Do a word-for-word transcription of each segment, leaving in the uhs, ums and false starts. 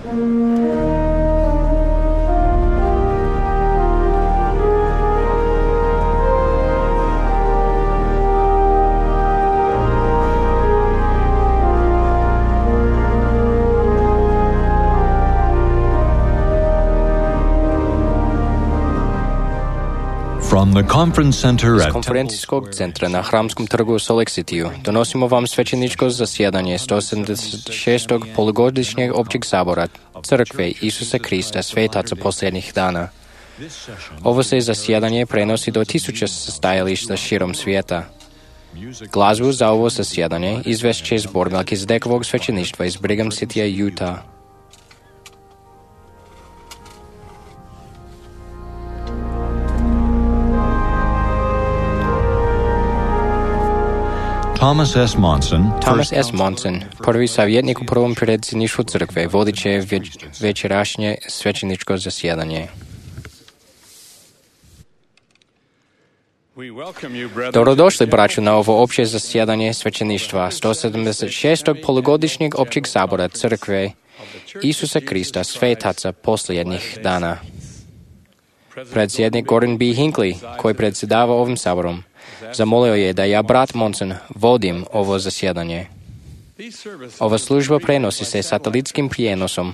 From the conference center Из at конференcijskog centra na Hramskom trgu u Salt Lake City donosimo vam svećeničko zasjedanje sto sedamdeset šestog polugodišnjeg općeg sabora Crkve Isusa Krista svetaca posljednjih dana. Ovo se zasjedanje prenosi do tisuća stajališta širom svijeta. Glazbu za ovo zasjedanje izvest će zbor Melkizedekovog svećeništva iz Brigham Citya, Utah. Thomas S. Monson, Thomas S. Monson, prvi savjetnik u prvom predsjedništvu crkve, vodit će već, večerašnje svećeničko zasjedanje. Dobrodošli, braćo, na ovo opće zasjedanje svećeništva sto sedamdeset šestog polugodišnjeg općeg sabora crkve Isusa Krista svetaca posljednjih dana. Predsjednik Gordon B. Hinckley, koji predsjedava ovim saborom, zamolio je da ja, brat Monson, vodim ovo zasjedanje. Ova služba prenosi se satelitskim prijenosom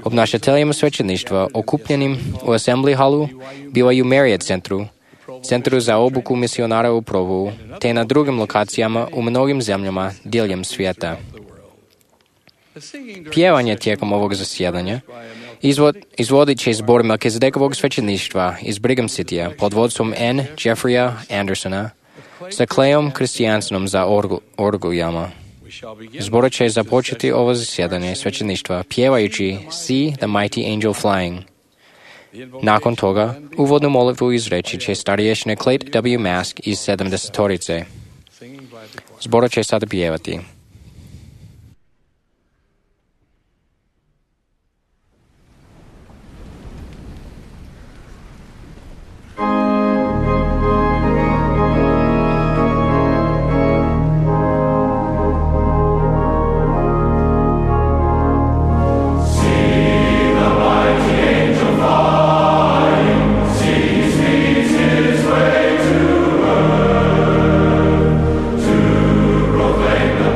obnašateljima svećeništva okupljenim u Assembly Hallu, B Y U Marriott centru, centru za obuku misionara u Provu, te na drugim lokacijama u mnogim zemljama diljem svijeta. Pjevanje tijekom ovog zasjedanja izvod, izvodit će zbor Melkizedekovog svećeništva iz Brigham Citya pod vodstvom N. Jeffreya Andersona sa Clayom Christiansenom za orgu, orgujama. Zbor će započeti ovo zasjedanje svećeništva pjevajući See the Mighty Angel Flying. Nakon toga, uvodnu molitvu izreći će starješine Clayt W. Mask iz sedamdesetorice. Zbor će sada pjevati.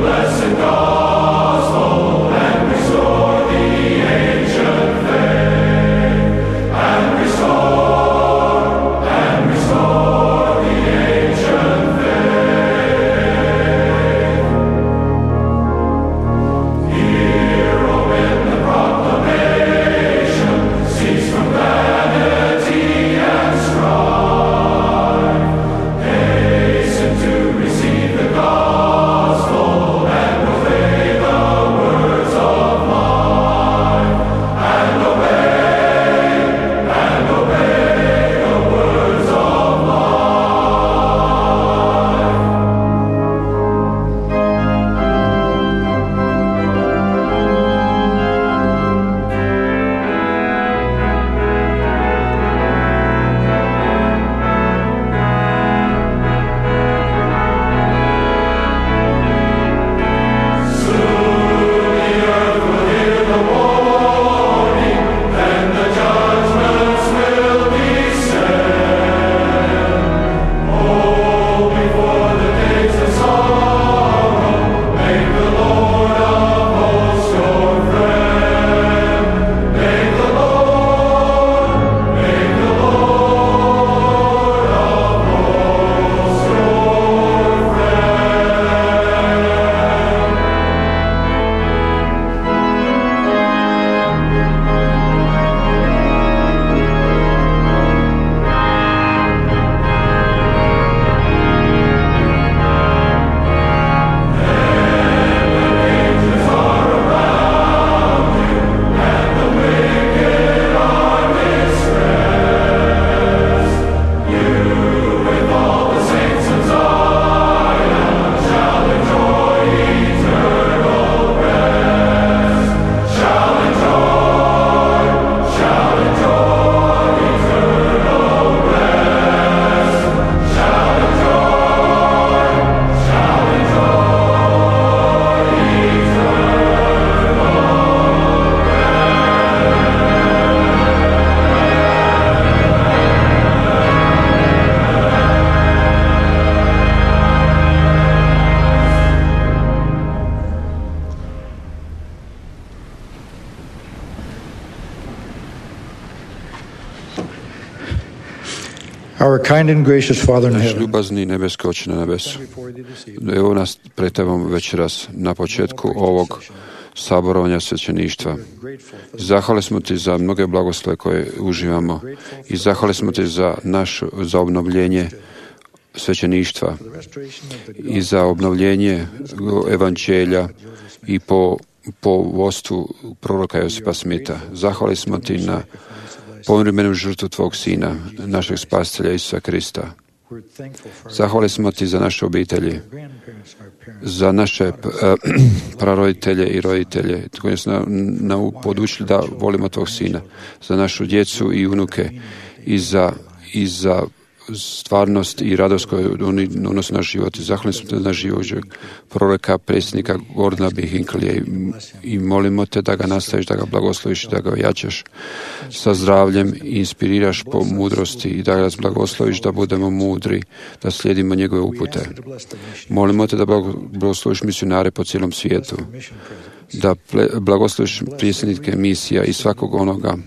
Bless Our kind and gracious Father in Naš heaven, ljubazni nebeski Oče na nebesu, evo nas pred Tebom večeras na početku ovog saborovanja svećeništva. Zahvali smo Ti za mnoge blagoslove koje uživamo i zahvali smo Ti za naš, za obnovljenje svećeništva i za obnovljenje evanđelja i po, po vodstvu proroka Josipa Smita. Zahvali smo Ti na povremenu žrtvu Tvog Sina, našeg spasitelja Isusa Krista. Zahvali smo Ti za naše obitelji, za naše praroditelje i roditelje koji su nam na, podučili da volimo Tvog Sina, za našu djecu i unuke i za, i za stvarnost i radost koju oni unose na život. Zahvalni smo Te na život proroka, predsjednika Gordona B. Hinckleyja i, i molimo Te da ga nastaviš, da ga blagosloviš, da ga ojačaš sa zdravljem i inspiriraš po mudrosti i da ga blagosloviš da budemo mudri, da slijedimo njegove upute. Molimo Te da blagosloviš misionare po cijelom svijetu, da blagosloviš predsjednike misija i svakog onoga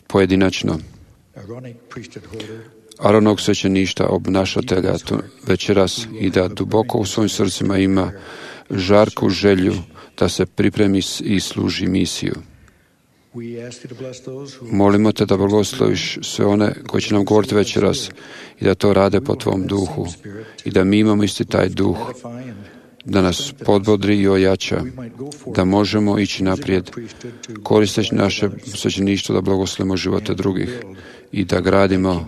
pojedinačno, Aronog svećeništa, obnašatelja večeras i da duboko u svojim srcima ima žarku želju da se pripremi i služi misiju. Molimo Te da blagosloviš sve one koji će nam govoriti večeras i da to rade po Tvom duhu i da mi imamo isti taj duh, da nas podbodri i ojača, da možemo ići naprijed, koristeći naše svećeništvo da blagoslovimo živote drugih i da gradimo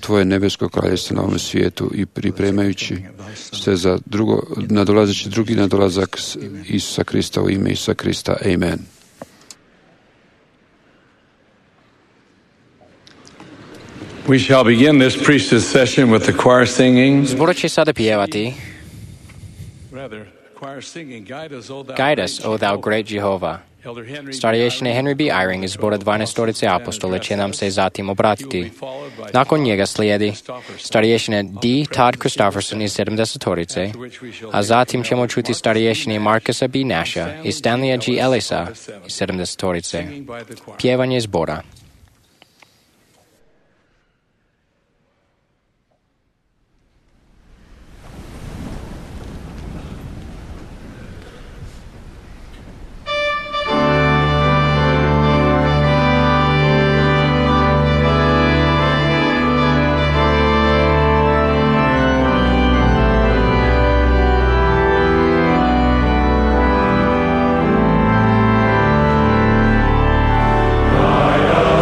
Tvoje nebesko kraljevstvo na ovom svijetu i pripremajući se za drugo, nadolazeći drugi nadolazak Isusa Krista u ime Isusa Krista. Amen. We shall begin this priesthood session with the choir singing. Zbor će sada pjevati Guide us, O thou great Jehovah. Starješine Henry B. Eyring iz zbora dvanaestorice apostole će nam se zatim obratiti. Nakon njega slijedi starješine D. Todd Christofferson iz sedamdesetorice, a zatim ćemo čuti starješine Marcusa B. Nasha i Stanleya G. Ellisa iz sedamdesetorice. Pjevanje zbora. Guide us.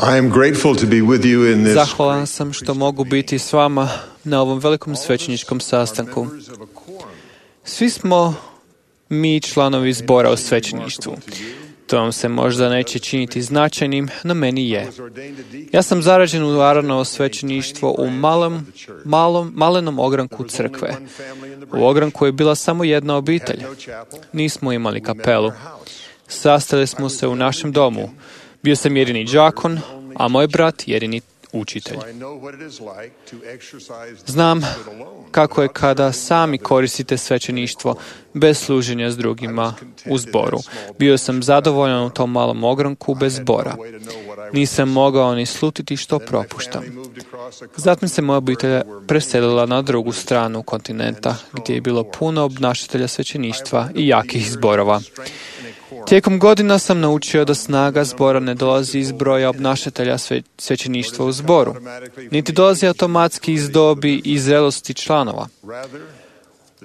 I am grateful to be with you in this. Zahvalan sam što mogu biti s vama na ovom velikom svećeničkom sastanku. Svi smo mi članovi zbora o svećeništvu. To vam se možda neće činiti značajnim, no meni je. Ja sam zarađen u Aronovo svećeništvo u malom, malom, malenom ogranku crkve. U ogranku je bila samo jedna obitelj. Nismo imali kapelu. Sastali smo se u našem domu. Bio sam jedini đakon, a moj brat jedini učitelj. Znam kako je kada sami koristite svećeništvo bez služenja s drugima u zboru. Bio sam zadovoljan u tom malom ogranku bez zbora. Nisam mogao ni slutiti što propuštam. Zatim se moja obitelj preselila na drugu stranu kontinenta, gdje je bilo puno obnašatelja svećeništva i jakih zborova. Tijekom godina sam naučio da snaga zbora ne dolazi iz broja obnašatelja sve, svećeništva u zboru, niti dolazi automatski iz dobi i zrelosti članova.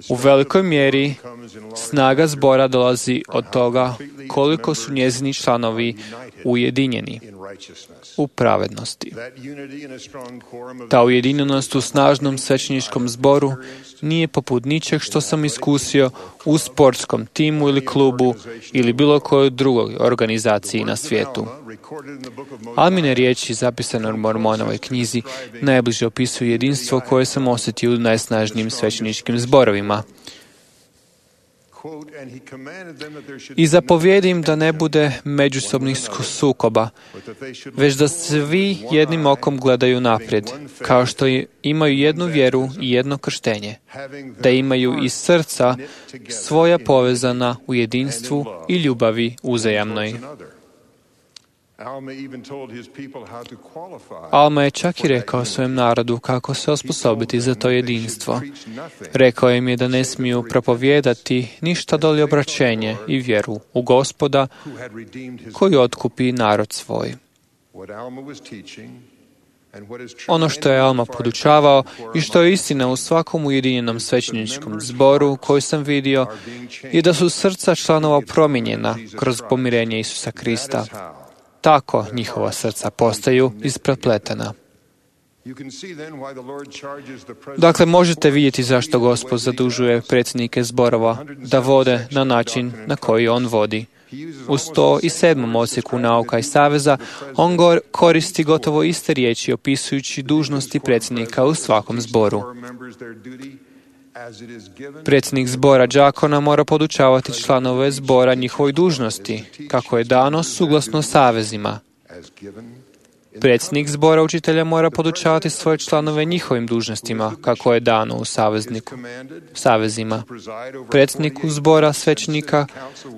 U velikoj mjeri snaga zbora dolazi od toga koliko su njezini članovi ujedinjeni u pravednosti. Ta ujedinjenost u snažnom svećeničkom zboru nije poput ničeg što sam iskusio u sportskom timu ili klubu ili bilo kojoj drugoj organizaciji na svijetu. Almine riječi zapisane u Mormonovoj knjizi najbliže opisuju jedinstvo koje sam osjetio u najsnažnijim svećeničkim zborovima. I zapovijedi im da ne bude međusobnih sukoba, već da svi jednim okom gledaju naprijed, kao što imaju jednu vjeru i jedno krštenje, da imaju iz srca svoja povezana u jedinstvu i ljubavi uzajamnoj. Alma je čak i rekao svojem narodu kako se osposobiti za to jedinstvo. Rekao im je da ne smiju propovijedati ništa doli obraćenje i vjeru u Gospoda koji otkupi narod svoj. Ono što je Alma podučavao i što je istina u svakom ujedinjenom svećeničkom zboru koji sam vidio je da su srca članova promijenjena kroz pomirenje Isusa Krista. Tako njihova srca postaju isprepletena. Dakle, možete vidjeti zašto Gospod zadužuje predsjednike zborova da vode na način na koji on vodi. U sto sedmom odsjeku Nauka i saveza on koristi gotovo iste riječi opisujući dužnosti predsjednika u svakom zboru. Predsjednik zbora đakona mora podučavati članove zbora njihovoj dužnosti, kako je dano suglasno savezima. Predsjednik zbora učitelja mora podučavati svoje članove njihovim dužnostima, kako je dano u savezniku, savezima. Predsjedniku zbora svećenika,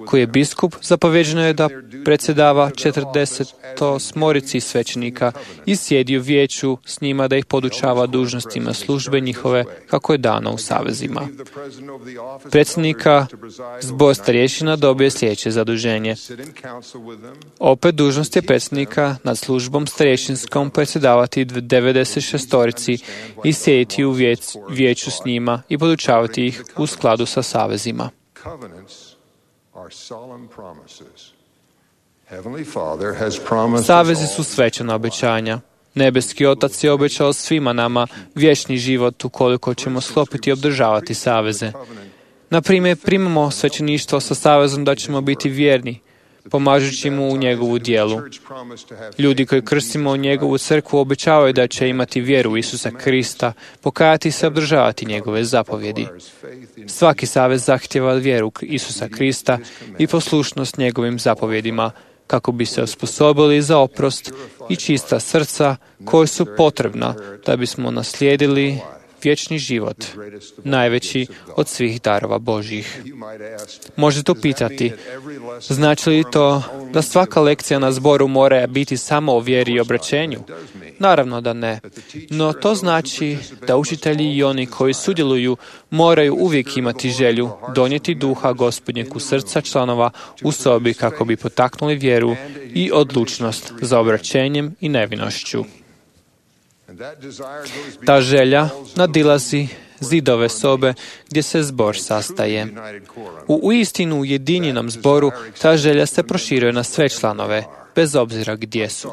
koji je biskup, zapovjeđeno je da predsjedava četrdesetosmorici svećenika i sjedi u vijeću s njima da ih podučava dužnostima službe njihove, kako je dano u savezima. Predsjednika zbor starješina dobije sljedeće zaduženje. Opet dužnost je predsjednika nad službom starješinskom predsjedavati devedeset šestorici i sjediti u vijeć, vijeću s njima i podučavati ih u skladu sa savezima. Savezi su svečana obećanja. Nebeski Otac je obećao svima nama vječni život ukoliko ćemo sklopiti i obdržavati saveze. Na primjer, primamo svećeništvo sa savezom da ćemo biti vjerni, pomažući mu u njegovu djelu. Ljudi koji krstimo u njegovu crkvu obećavaju da će imati vjeru u Isusa Krista, pokajati se i obdržavati njegove zapovjedi. Svaki savez zahtijeva vjeru Isusa Krista i poslušnost njegovim zapovjedima, kako bi se osposobili za oprost i čista srca koje su potrebna da bismo naslijedili vječni život, najveći od svih darova Božjih. Možete upitati, znači li to da svaka lekcija na zboru mora biti samo o vjeri i obraćenju? Naravno da ne. No to znači da učitelji i oni koji sudjeluju moraju uvijek imati želju donijeti duha Gospodnjeg u srca članova u sobi kako bi potaknuli vjeru i odlučnost za obraćenjem i nevinošću. Ta želja nadilazi zidove sobe gdje se zbor sastaje. U uistinu ujedinjenom zboru ta želja se proširuje na sve članove, bez obzira gdje su.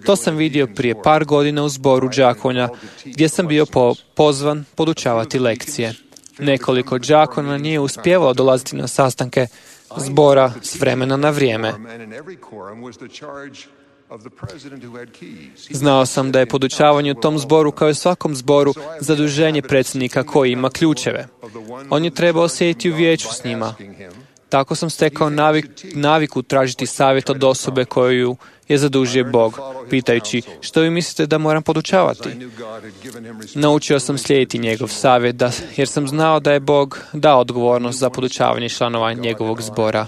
To sam vidio prije par godina u zboru đakonja, gdje sam bio po, pozvan podučavati lekcije. Nekoliko đakona nije uspjevalo dolaziti na sastanke zbora s vremena na vrijeme. Znao sam da je podučavanje u tom zboru, kao i svakom zboru, zaduženje predsjednika koji ima ključeve. On je trebao sjediti u vijeću s njima. Tako sam stekao navik, naviku tražiti savjet od osobe koju je zadužio Bog, pitajući što vi mislite da moram podučavati. Naučio sam slijediti njegov savjet, da, jer sam znao da je Bog dao odgovornost za podučavanje članova njegovog zbora.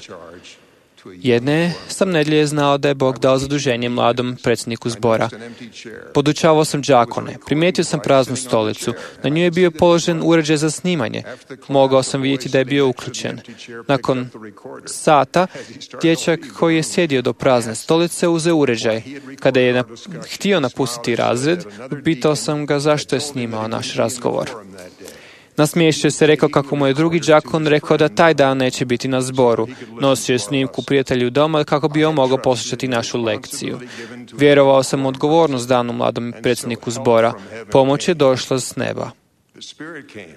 Jedne sam nedjelje znao da je Bog dao zaduženje mladom predsjedniku zbora. Podučavao sam đakone. Primijetio sam praznu stolicu. Na nju je bio položen uređaj za snimanje. Mogao sam vidjeti da je bio uključen. Nakon sata, dječak koji je sjedio do prazne stolice uzeo uređaj. Kada je nap- htio napustiti razred, pitao sam ga zašto je snimao naš razgovor. Nasmiješio se, rekao kako mu je drugi đakon rekao da taj dan neće biti na zboru. Nosio je snimku prijatelju doma kako bi on mogao poslušati našu lekciju. Vjerovao sam u odgovornost danu mladom predsjedniku zbora. Pomoć je došla s neba.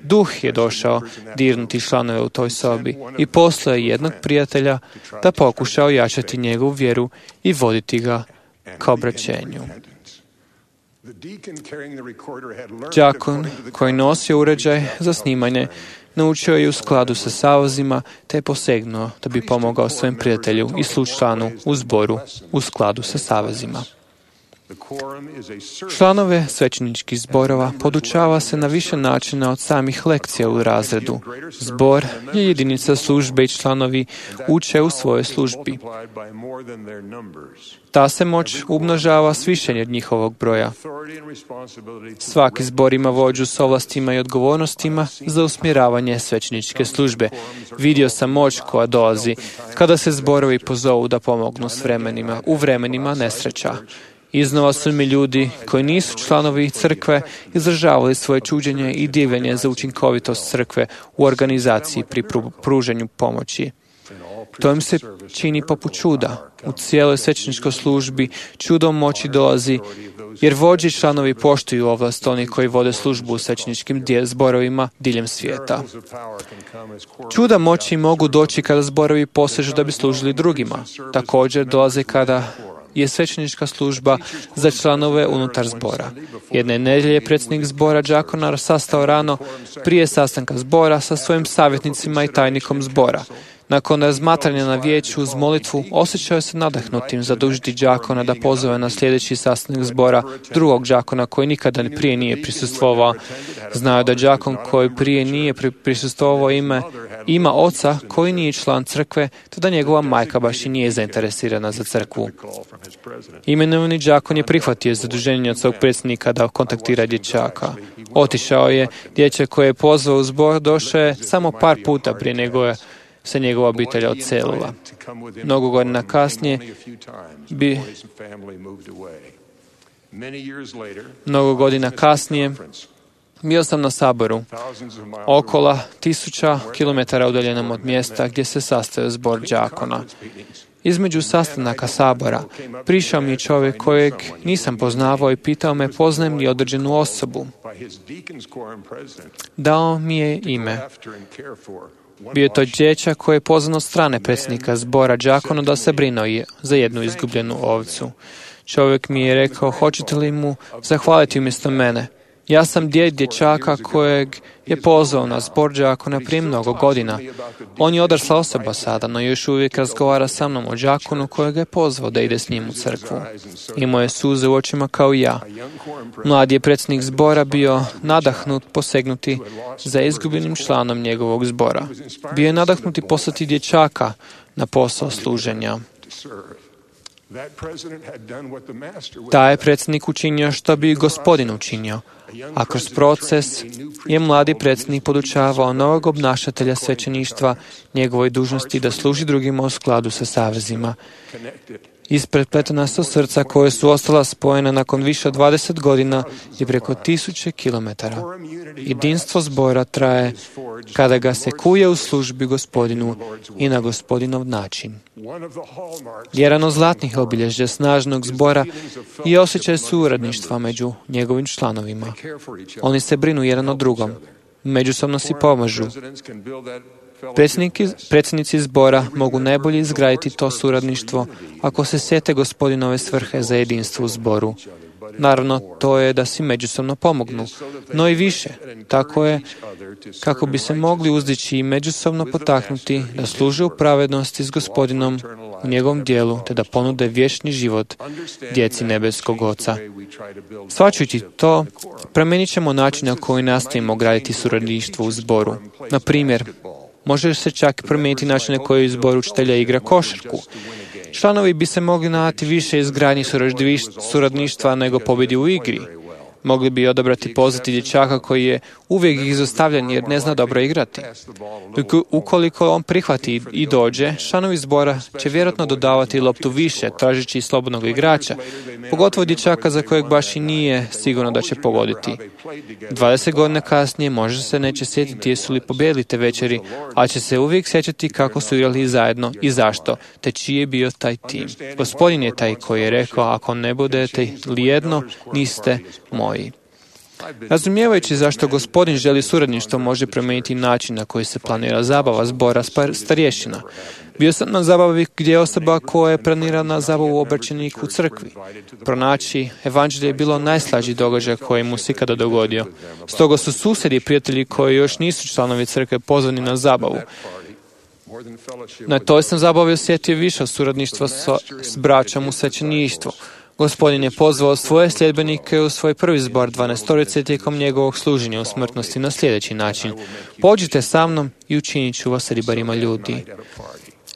Duh je došao dirnuti članove u toj sobi i poslao je jednog prijatelja da pokuša ojačati njegovu vjeru i voditi ga ka obraćenju. Đakon koji nosio uređaj za snimanje naučio je u skladu sa savezima te je posegnuo da bi pomogao svojem prijatelju i slučlanu u zboru u skladu sa savezima. Članove svećeničkih zborova podučava se na više načina od samih lekcija u razredu. Zbor je jedinica službe i članovi uče u svojoj službi. Ta se moć umnožava s više od njihovog broja. Svaki zbor ima vođu s ovlastima i odgovornostima za usmjeravanje svećeničke službe. Vidio sam moć koja dolazi kada se zborovi pozovu da pomognu s vremenima, u vremenima nesreća. Iznova su mi ljudi koji nisu članovi crkve izražavali svoje čuđenje i divljenje za učinkovitost crkve u organizaciji pri pruženju pomoći. To im se čini poput čuda. U cijeloj svećeničkoj službi čudom moći dolazi jer vođi članovi poštuju ovlast onih koji vode službu u svećeničkim zborovima diljem svijeta. Čuda moći mogu doći kada zborovi posežu da bi služili drugima. Također dolaze kada je svećenička služba za članove unutar zbora. Jedne nedjelje predsjednik zbora đakona sastao rano prije sastanka zbora sa svojim savjetnicima i tajnikom zbora. Nakon razmatranja na vijeću uz molitvu, osjećao je se nadahnutim zadužiti đakona da pozove na sljedeći sastanak zbora drugog đakona koji nikada prije nije prisustvovao. Znao da đakon koji prije nije prisustvovao ime ima oca koji nije član crkve, te da njegova majka baš i nije zainteresirana za crkvu. Imenovani đakon je prihvatio zaduženje od svog predsjednika da kontaktira dječaka. Otišao je, dječak koji je pozvao u zbor došao je samo par puta prije nego je se njegova obitelj odselila. Mnogo godina kasnije bi mnogo godina kasnije bio sam na saboru okola tisuća kilometara udaljenom od mjesta gdje se sastajao zbor đakona. Između sastanaka sabora prišao mi je čovjek kojeg nisam poznavao i pitao me poznajem li određenu osobu. Dao mi je ime. Bio je to dječak koji je pozvan od strane predsjednika zbora đakona da se brinuo za jednu izgubljenu ovcu. Čovjek mi je rekao, hoćete li mu zahvaliti umjesto mene? Ja sam djed dječaka kojeg je pozvao na zbor đakona prije mnogo godina. On je odrasla osoba sada, no još uvijek razgovara sa mnom o đakonu kojeg je pozvao da ide s njim u crkvu. Imao je suze u očima kao i ja. Mladi je predsjednik zbora bio nadahnut posegnuti za izgubljenim članom njegovog zbora. Bio je nadahnuti poslati dječaka na posao služenja. Taj je predsjednik učinio što bi gospodin učinio, a kroz proces je mladi predsjednik podučavao novog obnašatelja svećeništva njegovoj dužnosti da služi drugima u skladu sa savezima. Isprepletena su srca koje su ostala spojena nakon više od dvadeset godina i preko tisuće kilometara. Jedinstvo zbora traje kada ga se kuje u službi Gospodinu i na Gospodinov način. Jedan od zlatnih obilježja snažnog zbora i osjećaj suradništva među njegovim članovima. Oni se brinu jedan o drugom, međusobno si pomažu. Predsjednici zbora mogu najbolje izgraditi to suradništvo ako se sjete Gospodinove svrhe za jedinstvo u zboru. Naravno, to je da si međusobno pomognu, no i više. Tako je kako bi se mogli uzdići i međusobno potaknuti da služe u pravednosti s Gospodinom u njegovom dijelu, te da ponude vječni život djeci nebeskog Oca. Shvaćajući to, promijenit ćemo način na koji nastavimo graditi suradništvo u zboru. Na primjer, može se čak promijeniti način na koji zbor učitelja igra košarku. Članovi bi se mogli nadati više izgradnji suradništva nego pobjedi u igri. Mogli bi odabrati pozvati dječaka koji je uvijek izostavljen jer ne zna dobro igrati. Ukoliko on prihvati i dođe, članovi zbora će vjerojatno dodavati loptu više, tražeći slobodnog igrača, pogotovo dječaka za kojeg baš i nije sigurno da će pogoditi. dvadeset godina kasnije može se neće sjetiti jesu li pobijedili te večeri, a će se uvijek sjećati kako su igrali zajedno i zašto, te čiji je bio taj tim. Gospodin je taj koji je rekao, ako ne budete li jedno, niste moji. Razumijevajući zašto Gospodin želi suradništvo, može promijeniti način na koji se planira zabava zbora starješina. Bio sam na zabavi gdje je osoba koja je planirana zabavu obraćenik u crkvi. Pronaći evanđelje je bilo najslađi događaj koji mu se ikada dogodio. Stoga su susjedi i prijatelji koji još nisu članovi crkve pozvani na zabavu. Na toj sam zabavi osjetio više suradništva s braćom u svećeništvu. Gospodin je pozvao svoje sljedbenike u svoj prvi zbor dvanaestorice tijekom njegovog služenja u smrtnosti na sljedeći način. Pođite sa mnom i učinit ću vas ribarima ljudi.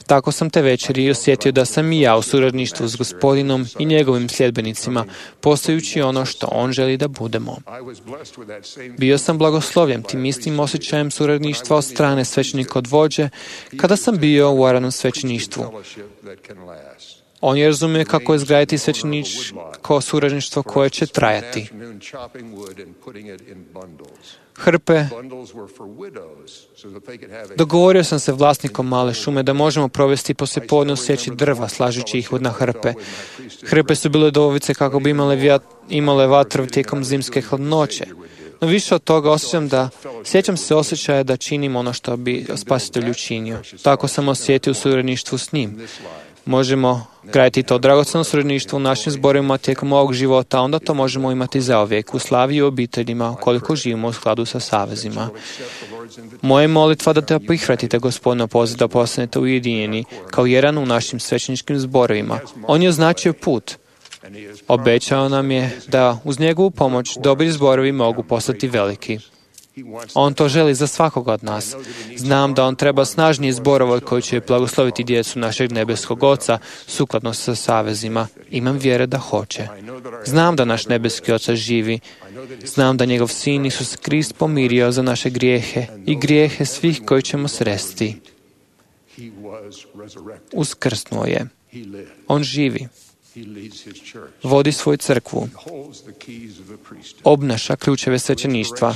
Tako sam te večeri osjetio da sam i ja u suradništvu s Gospodinom i njegovim sljedbenicima, postajući ono što on želi da budemo. Bio sam blagoslovljen tim istim osjećajem suradništva od strane svećenika od vođe kada sam bio u Aranom svećeništvu. On je razumio kako izgraditi svećeničko suradništvo koje će trajati. Hrpe. Dogovorio sam se vlasnikom male šume da možemo provesti poslijepodne u sjeći drva, slažući ih na hrpe. Hrpe su bile dovovice kako bi imale, vjat, imale vatru tijekom zimske hladnoće. No više od toga osjećam da, sjećam se osjećaja da činim ono što bi Spasitelj učinio. Tako sam osjetio u suradništvu s njim. Možemo graditi to dragocjeno suradništvo u našim zborima tijekom ovog života, onda to možemo imati zauvijek u slavi i obiteljima, ukoliko živimo u skladu sa savezima. Moja molitva da te prihvatite Gospodina poziv da postanete ujedinjeni kao jedan u našim svećeničkim zborovima. On je označio put. Obećao nam je da uz njegovu pomoć dobri zborovi mogu postati veliki. On to želi za svakoga od nas. Znam da on treba snažniji zborova koji će blagosloviti djecu našeg nebeskog Oca sukladno sa savezima. Imam vjere da hoće. Znam da naš nebeski Otac živi. Znam da njegov sin Isus Krist pomirio za naše grijehe i grijehe svih koji ćemo sresti. Uskrsnuo je. On živi. Vodi svoju crkvu. Obnaša ključeve svećeništva.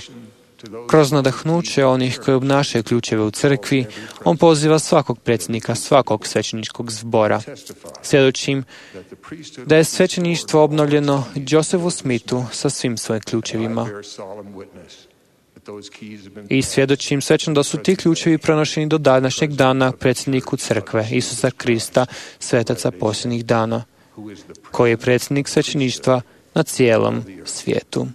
Kroz nadahnuće onih koji obnašaju ključeve u crkvi, on poziva svakog predsjednika, svakog svećeničkog zbora. Svjedočim da je svećeništvo obnovljeno Josefu Smithu sa svim svojim ključevima. I svjedočim svećno da su ti ključevi pronošeni do današnjeg dana predsjedniku crkve, Isusa Krista, svetaca posljednjih dana, koji je predsjednik svećeništva na cijelom svijetu.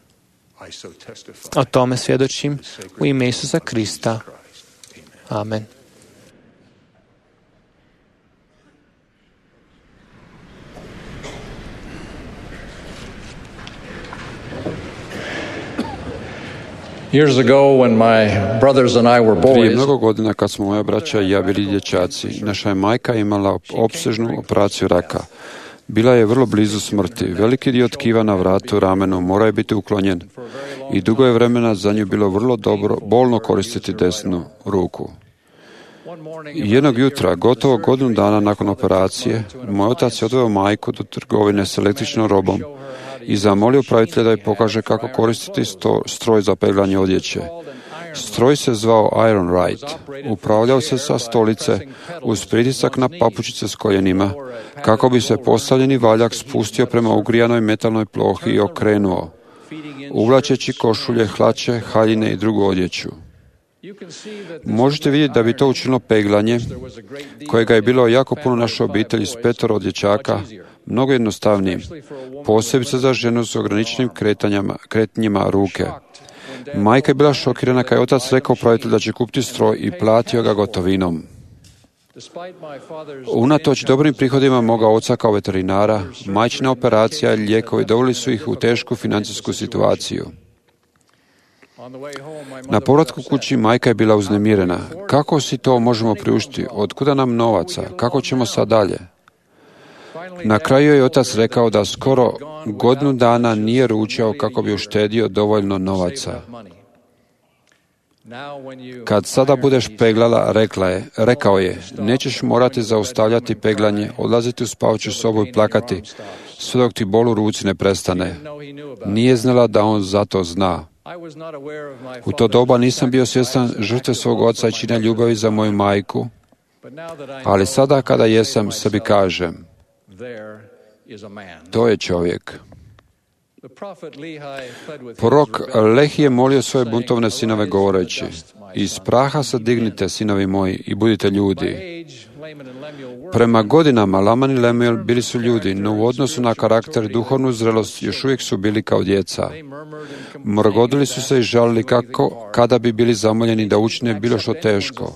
O tome svjedočim u ime Isusa Krista. Amen. Years ago, when my brothers and I were Prije boys, mnogo godina kad smo moja braća i ja bili dječaci, naša je majka imala opsežnu operaciju raka. Bila je vrlo blizu smrti. Veliki dio tkiva na vratu, ramenu mora je biti uklonjen i dugo je vremena za nju bilo vrlo dobro, bolno koristiti desnu ruku. Jednog jutra, gotovo godinu dana nakon operacije, moj otac je odveo majku do trgovine s električnom robom i zamolio upravitelja da joj pokaže kako koristiti sto, stroj za peglanje odjeće. Stroj se zvao Iron Right. Upravljao se sa stolice uz pritisak na papučice s koljenima, kako bi se postavljeni valjak spustio prema ugrijanoj metalnoj plohi i okrenuo, uvlačeći košulje, hlače, haljine i drugu odjeću. Možete vidjeti da bi to učinilo peglanje, kojega je bilo jako puno naše obitelji s petoro dječaka, mnogo jednostavnije, posebice za ženu s ograničenim kretanjima ruke. Majka je bila šokirana kad je otac rekao upravitelju da će kupiti stroj i platio ga gotovinom. Unatoč dobrim prihodima moga oca kao veterinara, majčina operacija i lijekovi doveli su ih u tešku financijsku situaciju. Na povratku kući majka je bila uznemirena. Kako si to možemo priuštiti? Otkuda nam novaca? Kako ćemo sad dalje? Na kraju je otac rekao da skoro godinu dana nije ručao kako bi uštedio dovoljno novaca. Kad sada budeš peglala, rekla je, rekao je, nećeš morati zaustavljati peglanje, odlaziti u spavaću sobu i plakati, sve dok ti bol u ruci ne prestane. Nije znala da on za to zna. U to doba nisam bio svjestan žrtve svog oca i čina ljubavi za moju majku, ali sada kada jesam, sebi kažem, to je čovjek. Prorok Lehi je molio svoje buntovne sinove govoreći, iz praha se dignite, sinovi moji, i budite ljudi. Prema godinama Laman i Lemuel bili su ljudi, no u odnosu na karakter i duhovnu zrelost još uvijek su bili kao djeca. Mrgodili su se i žalili kako, kada bi bili zamoljeni da učine bilo što teško.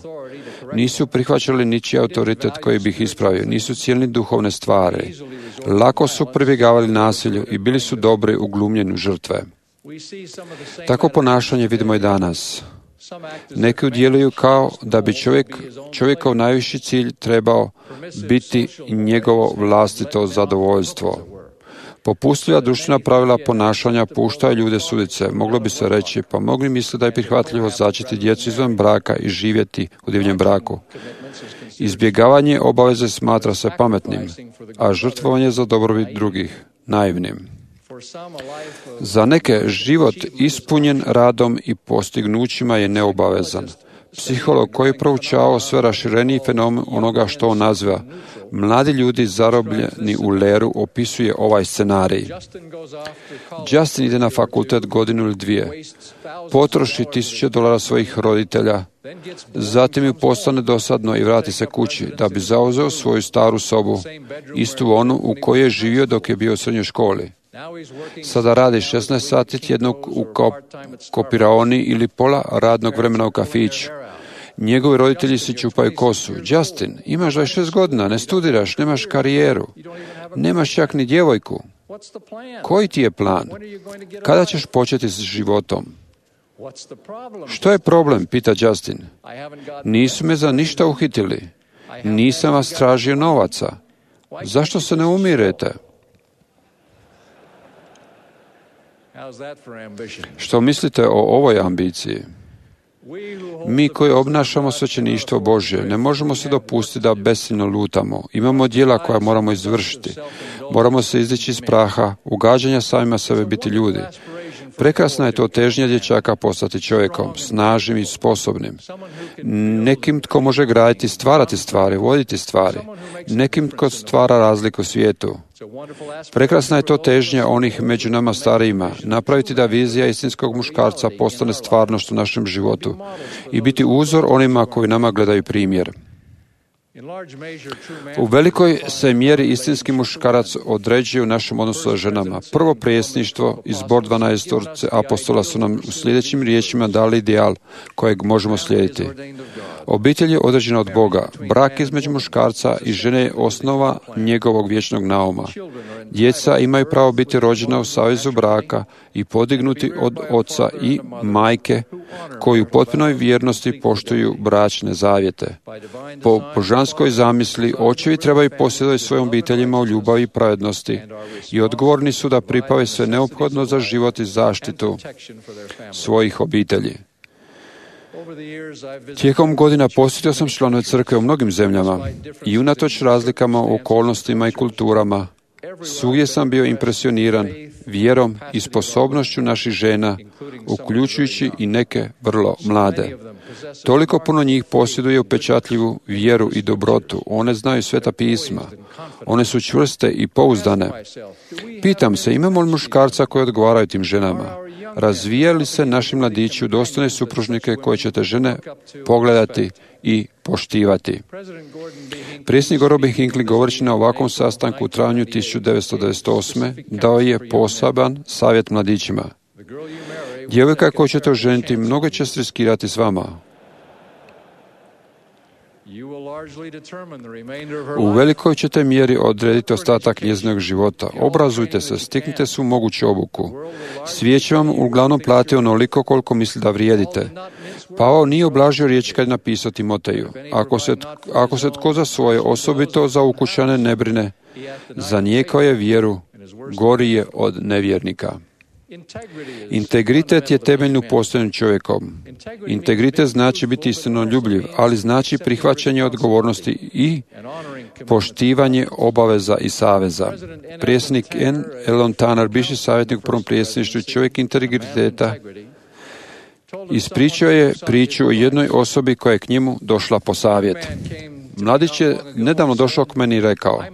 Nisu prihvaćali ničiji autoritet koji bi ih ispravio, nisu cijenili duhovne stvari. Lako su pribjegavali nasilju i bili su dobri u glumljenju žrtve. Tako ponašanje vidimo i danas. Neki udjeluju kao da bi čovjek, čovjekov najviši cilj trebao biti njegovo vlastito zadovoljstvo. Popustljiva društvena pravila ponašanja puštaju ljude sudice. Moglo bi se reći, pa mogli misle da je prihvatljivo začeti djecu izvan braka i živjeti u divljem braku. Izbjegavanje obaveze smatra se pametnim, a žrtvovanje za dobrobit drugih naivnim. Za neke život ispunjen radom i postignućima je neobavezan. Psiholog koji je proučavao sve rašireniji fenomen onoga što on naziva mladi ljudi zarobljeni u leru opisuje ovaj scenarij. Justin ide na fakultet godinu ili dvije, potroši tisuće dolara svojih roditelja, zatim ju postane dosadno i vrati se kući da bi zauzeo svoju staru sobu, istu onu u kojoj je živio dok je bio u srednjoj školi. Sada radi šesnaest sati tjednog u kopiraoni ili pola radnog vremena u kafiću. Njegovi roditelji si čupaju kosu. Justin, imaš dvadeset šest godina, ne studiraš, nemaš karijeru, nemaš čak ni djevojku. Koji ti je plan? Kada ćeš početi s životom? Što je problem, pita Justin. Nisu me za ništa uhitili. Nisam vas tražio novaca. Zašto se ne umirete? Što mislite o ovoj ambiciji? Mi koji obnašamo svećeništvo Božje ne možemo se dopustiti da besciljno lutamo. Imamo djela koja moramo izvršiti. Moramo se izdići iz praha, ugađanja samima sebe biti ljudi. Prekrasna je to težnja dječaka postati čovjekom, snažnim i sposobnim. Nekim tko može graditi, stvarati stvari, voditi stvari. Nekim tko stvara razliku u svijetu. Prekrasna je to težnja onih među nama starijima, napraviti da vizija istinskog muškarca postane stvarnost u našem životu i biti uzor onima koji nama gledaju primjer. U velikoj se mjeri istinski muškarac određuje u našem odnosu sa ženama. Prvo prijesništvo i zbor dvanaestorice apostola su nam u sljedećim riječima dali ideal kojeg možemo slijediti. Obitelj je određena od Boga. Brak između muškarca i žene je osnova njegovog vječnog nauma. Djeca imaju pravo biti rođena u savezu braka i podignuti od oca i majke koji u potpunoj vjernosti poštuju bračne zavjete. Po božanskoj zamisli očevi trebaju posjedovati svojim obiteljima u ljubavi i pravednosti i odgovorni su da pripave sve neophodno za život i zaštitu svojih obitelji. Tijekom godina posjetio sam članove crkve u mnogim zemljama i unatoč razlikama u okolnostima i kulturama, svugdje sam bio impresioniran vjerom i sposobnošću naših žena, uključujući i neke vrlo mlade. Toliko puno njih posjeduje upečatljivu vjeru i dobrotu. One znaju sveta pisma. One su čvrste i pouzdane. Pitam se, imamo li muškarca koji odgovaraju tim ženama? Razvijaju li se naši mladići u dostojne supružnike koje ćete žene pogledati i poštivati? Predsjednik Gordon B. Hinckley, govoreći na ovakvom sastanku u travnju tisuću devetsto devedeset osme dao je poseban savjet mladićima. Djevojka koju ćete oženiti mnogo će se riskirati s vama. U velikoj ćete mjeri odrediti ostatak njezinog života. Obrazujte se, stiknite se u moguću obuku. Svijet će vam uglavnom plati onoliko koliko misli da vrijedite. Pavao nije oblažio riječ kad je napisao Timoteju. Ako se, ako se tko za svoje, osobito za ukućane, ne brine, zanijekao je vjeru, gori je od nevjernika. Integritet je temeljni u postojanju čovjekom. Integritet znači biti istinoljubljiv, ali znači prihvaćanje odgovornosti i poštivanje obaveza i saveza. Predsjednik N. Elon Tanner, bivši savjetnik u prvom predsjedništvu, čovjek integriteta, ispričao je priču o jednoj osobi koja je k njemu došla po savjet. Mladić je nedavno došao k meni i rekao: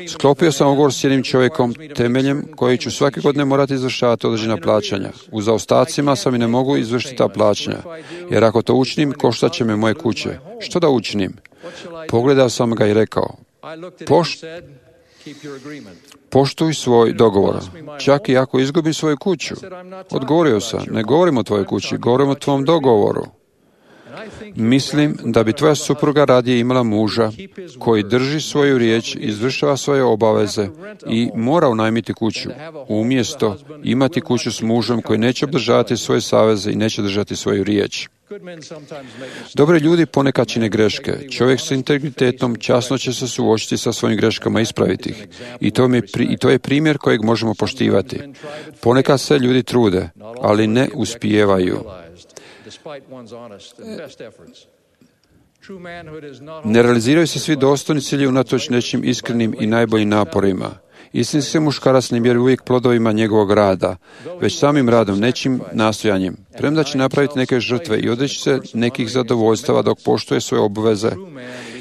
sklopio sam ugovor s jednim čovjekom temeljem koji ću svake godine morati izvršavati određena plaćanja. U zaostacima sam i ne mogu izvršiti ta plaćanja, jer ako to učinim, koštat će me moje kuće. Što da učinim? Pogledao sam ga i rekao: Poš... poštuj svoj dogovor, čak i ako izgubim svoju kuću. Odgovorio sam: ne govorim o tvojoj kući, govorim o tvom dogovoru. Mislim da bi tvoja supruga radije imala muža koji drži svoju riječ, izvršava svoje obaveze i mora unajmiti kuću, umjesto imati kuću s mužem koji neće obdržavati svoje saveze i neće držati svoju riječ. Dobri ljudi ponekad čine greške. Čovjek s integritetom časno će se suočiti sa svojim greškama i ispraviti ih. I to, mi, I to je primjer kojeg možemo poštivati. Ponekad se ljudi trude, ali ne uspijevaju. Ne realiziraju se svi dostojni ciljevi unatoč nečim iskrenim i najboljim naporima. Istinski se muškarac ne mjeri uvijek plodovima njegovog rada, već samim radom, nečim nastojanjem. Premda će napraviti neke žrtve i odreći se nekih zadovoljstava dok poštuje svoje obveze,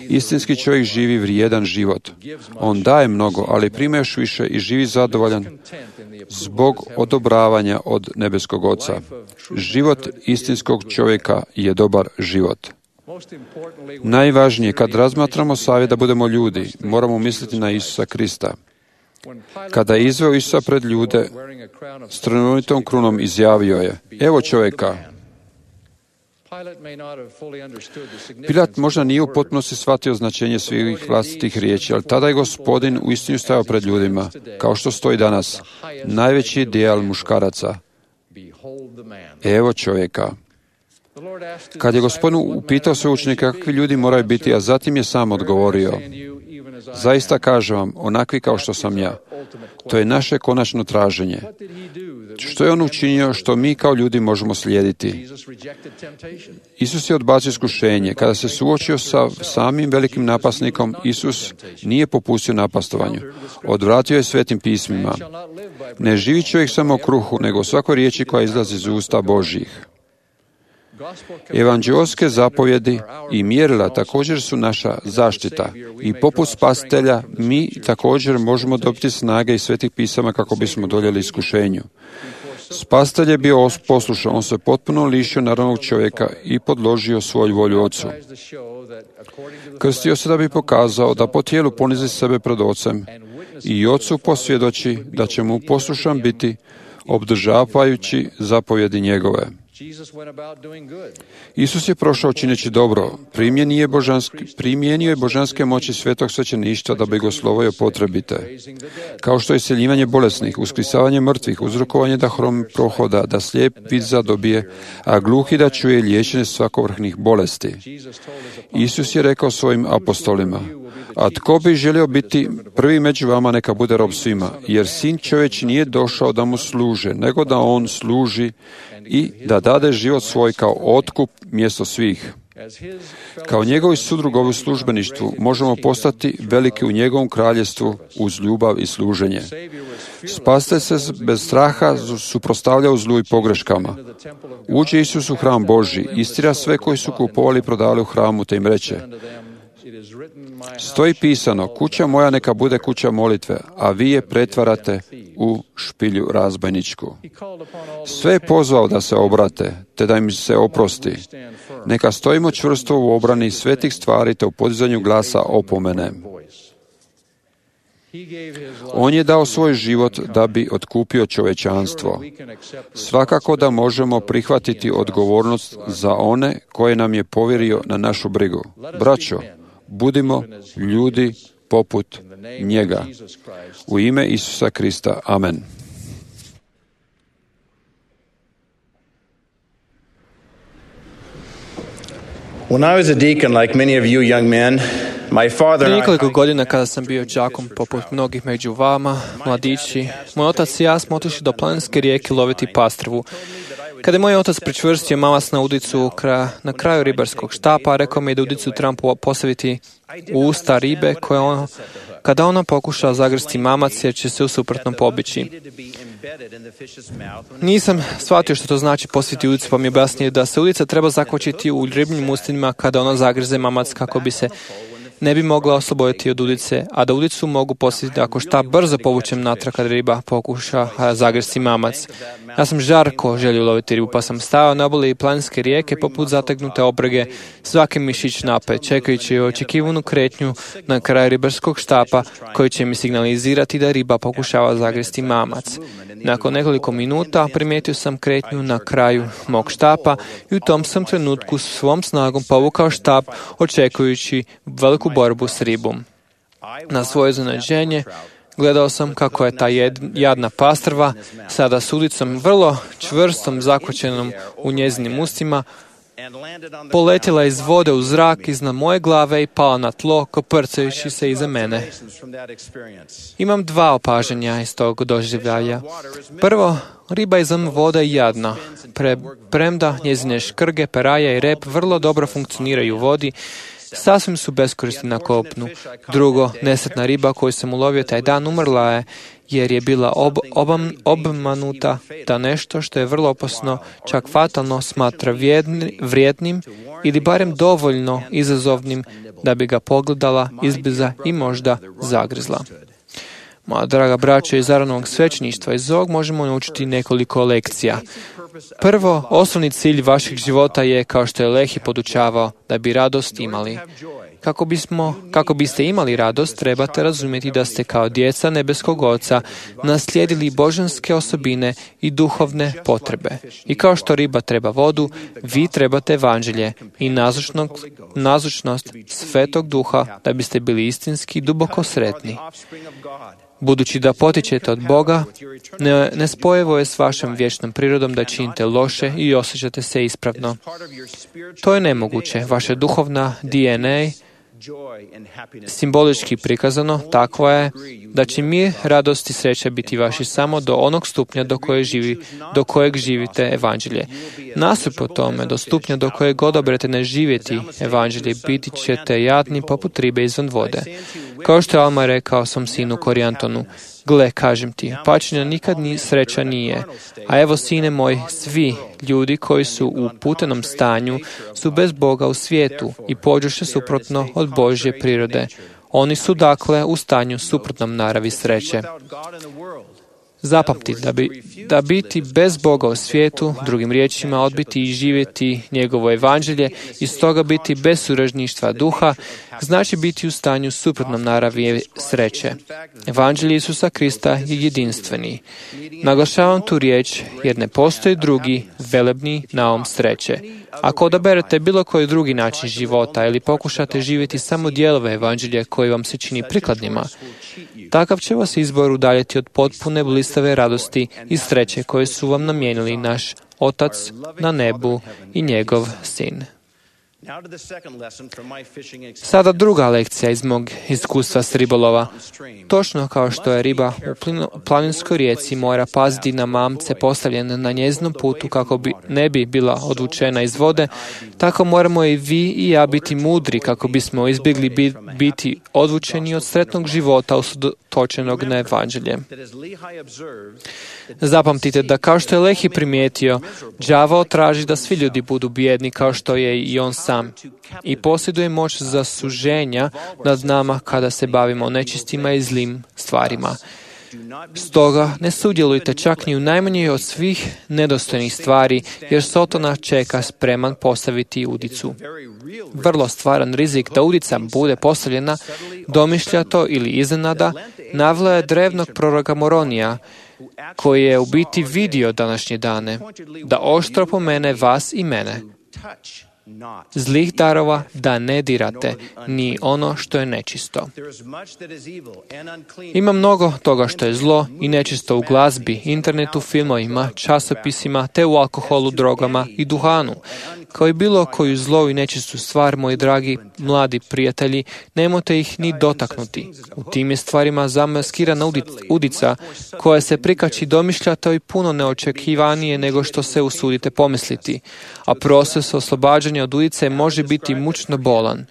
istinski čovjek živi vrijedan život. On daje mnogo, ali prima još više i živi zadovoljan zbog odobravanja od nebeskog Oca. Život istinskog čovjeka je dobar život. Najvažnije, kad razmatramo savjet da budemo ljudi, moramo misliti na Isusa Krista. Kada je izveo Isusa pred ljude, s trnovnitom krunom izjavio je: evo čovjeka. Pilat možda nije u potpunosti shvatio značenje svih vlastitih riječi, ali tada je Gospodin uistinu stajao pred ljudima, kao što stoji danas, najveći ideal muškaraca. Evo čovjeka. Kad je Gospodin upitao sve učenike kakvi ljudi moraju biti, a zatim je sam odgovorio: zaista kažem vam, onakvi kao što sam ja. To je naše konačno traženje. Što je on učinio što mi kao ljudi možemo slijediti? Isus je odbacio iskušenje. Kada se suočio sa samim velikim napasnikom, Isus nije popustio napastovanju. Odvratio je svetim pismima. Ne živi čovjek samo o kruhu, nego o svakoj riječi koja izlazi iz usta Božjih. Evanđeoske zapovjedi i mjerila također su naša zaštita i poput spasitelja mi također možemo dobiti snage iz svetih pisama kako bismo doljeli iskušenju. Spasitelj je bio poslušan, on se potpuno lišio narodnog čovjeka i podložio svoju volju Ocu. Krstio se da bi pokazao da po tijelu ponizi sebe pred Ocem i Ocu posvjedoči da će mu poslušan biti, obdržavajući zapovjedi njegove. Isus je prošao čineći dobro, primjenio je, božanski, primjenio je božanske moći svetog svećeništva da bi ga oslovio potrebite. Kao što je isceljivanje bolesnih, uskrisavanje mrtvih, uzrokovanje da hrom prohoda, da slijep vid zadobije, a gluhi da čuje, liječenje svakovrhnih bolesti. Isus je rekao svojim apostolima: A tko bi želio biti prvi među vama, neka bude rob svima, jer sin čovječi nije došao da mu služe, nego da on služi i da dade život svoj kao otkup mjesto svih. Kao njegovi sudrugovi u službeništvu možemo postati veliki u njegovom kraljevstvu uz ljubav i služenje. Spasitelj se bez straha suprotstavljao zlu i pogreškama. Uđe Isus u hram Božji, istjera sve koji su kupovali i prodali u hramu, te im reče: stoji pisano, kuća moja neka bude kuća molitve, a vi je pretvarate u špilju razbojničku. Sve je pozvao da se obrate, te da im se oprosti. Neka stojimo čvrsto u obrani svetih stvari, te u podizanju glasa opomene. On je dao svoj život da bi otkupio čovječanstvo. Svakako da možemo prihvatiti odgovornost za one koje nam je povjerio na našu brigu. Braćo, budimo ljudi poput njega. U ime Isusa Krista. Amen. When I was a deacon, like many of you young men, my father Prije and I... nekoliko godina kada sam bio đakom poput mnogih među vama, mladići, moj otac i ja smo otišli do planinske rijeke loviti pastrvu. Kada je moj otac pričvrstio mamac na udicu na kraju ribarskog štapa, rekao mi je da udicu trebam postaviti u usta ribe koje on, kada ona pokuša zagrsti mamac, jer će se u suprotnom pobići. Nisam shvatio što to znači postaviti udicu, pa mi je objasnio da se udica treba zakvačiti u ribnim ustima kada ona zagrize mamac, kako bi se ne bi mogla osloboditi od udice, a da udicu mogu postaviti ako šta brzo povučem natrag kada riba pokuša zagrsti mamac. Ja sam žarko želio loviti ribu, pa sam stao na obali planinske rijeke poput zategnute obrege, svaki mišić napet, čekajući očekivanu kretnju na kraju ribarskog štapa koji će mi signalizirati da riba pokušava zagresti mamac. Nakon nekoliko minuta primijetio sam kretnju na kraju mog štapa i u tom sam trenutku svom snagom povukao štap, očekujući veliku borbu s ribom. Na svoje iznenađenje gledao sam kako je ta jadna pastrva sada s udicom vrlo čvrstom zakvačenom u njezinim ustima poletjela iz vode u zrak iznad moje glave i pala na tlo, koprcajući se iza mene. Imam dva opažanja iz tog doživljaja. Prvo, riba izvan vode je jadna. Pre, premda njezine škrge, peraja i rep vrlo dobro funkcioniraju u vodi, sasvim su beskorisni na kopnu. Drugo, nesretna riba koju sam ulovio taj dan umrla je jer je bila ob, obam, obmanuta da nešto što je vrlo opasno, čak fatalno, smatra vrijedni, vrijednim ili barem dovoljno izazovnim da bi ga pogledala izbliza i možda zagrizla. Moja draga braćo iz Aronovog svećeništva, iz ovog možemo naučiti nekoliko lekcija. Prvo, osnovni cilj vašeg života je, kao što je Lehi podučavao, da bi radost imali. Kako bismo, kako biste imali radost, trebate razumjeti da ste kao djeca nebeskog Oca naslijedili božanske osobine i duhovne potrebe. I kao što riba treba vodu, vi trebate evanđelje i nazočnost Svetog Duha da biste bili istinski duboko sretni. Budući da potičete od Boga, ne, nespojivo je s vašom vječnom prirodom da činite loše i osjećate se ispravno. To je nemoguće. Vaša duhovna D N A, simbolički prikazano, takva je da će mir, radost i sreća biti vaši samo do onog stupnja do kojeg, živi, do kojeg živite evanđelje. Nasuprot tome, do stupnja do kojeg odaberete ne živjeti evanđelje, biti ćete jadni poput ribe izvan vode. Kao što je Alma rekao svom sinu Korijantonu: gle, kažem ti, pačnja nikad ni sreća nije. A evo, sine moj, svi ljudi koji su u putenom stanju su bez Boga u svijetu i pođoše suprotno od Božje prirode. Oni su dakle u stanju suprotnom naravi sreće. Zapamti, da, bi, da biti bez Boga u svijetu, drugim riječima odbiti i živjeti njegovo evanđelje i stoga biti bez suražništva duha, znači biti u stanju suprotnom naravi sreće. Evanđelje Isusa Krista je jedinstveni. Naglašavam tu riječ jer ne postoji drugi velebni naum sreće. Ako odaberete bilo koji drugi način života ili pokušate živjeti samo dijelove evanđelja koji vam se čini prikladnima, takav će vas izbor udaljiti od potpune blistave radosti i sreće koje su vam namijenili naš Otac na nebu i njegov Sin. Sada druga lekcija iz mog iskustva s ribolova. Točno kao što je riba u planinskoj rijeci mora paziti na mamce postavljene na njezinom putu kako bi ne bi bila odvučena iz vode, tako moramo i vi i ja biti mudri kako bismo izbjegli biti odvučeni od sretnog života usredotočenog na evanđelje. Zapamtite da kao što je Lehi primijetio, đavao traži da svi ljudi budu bijedni kao što je i on sam i posjeduje moć za suženja nad nama kada se bavimo nečistima i zlim stvarima. Stoga ne sudjelujte čak ni u najmanjoj od svih nedostojnih stvari, jer Sotona čeka spreman postaviti udicu. Vrlo stvaran rizik da udica bude postavljena, domišljato ili iznenada, navela je drevnog proroka Moronija, koji je u biti vidio današnje dane, da oštro pomene vas i mene. Zlih darova da ne dirate, ni ono što je nečisto. Ima mnogo toga što je zlo i nečisto u glazbi, internetu, filmovima, časopisima, te u alkoholu, drogama i duhanu. Kao i bilo koju zlo i nečistu stvar, moji dragi mladi prijatelji, nemojte ih ni dotaknuti. U tim je stvarima zamaskirana udica koja se prikači domišljato i puno neočekivanije nego što se usudite pomisliti, a proces oslobađanja od udice može biti mučno bolan.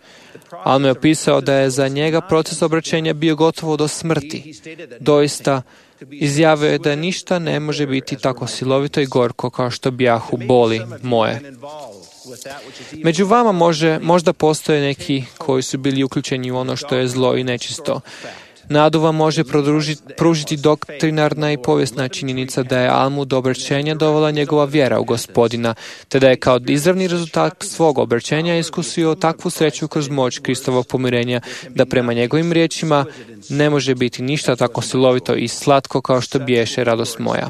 Alma je opisao da je za njega proces obraćenja bio gotovo do smrti. Doista, izjavio je da ništa ne može biti tako silovito i gorko kao što bijahu boli moje. Među vama može, možda postoje neki koji su bili uključeni u ono što je zlo i nečisto. Nadu vam može pružiti doktrinarna i povijesna činjenica da je Almu do obraćenja dovela njegova vjera u Gospodina, te da je kao izravni rezultat svog obraćenja iskusio takvu sreću kroz moć Kristovog pomirenja, da prema njegovim riječima ne može biti ništa tako silovito i slatko kao što biješe radost moja.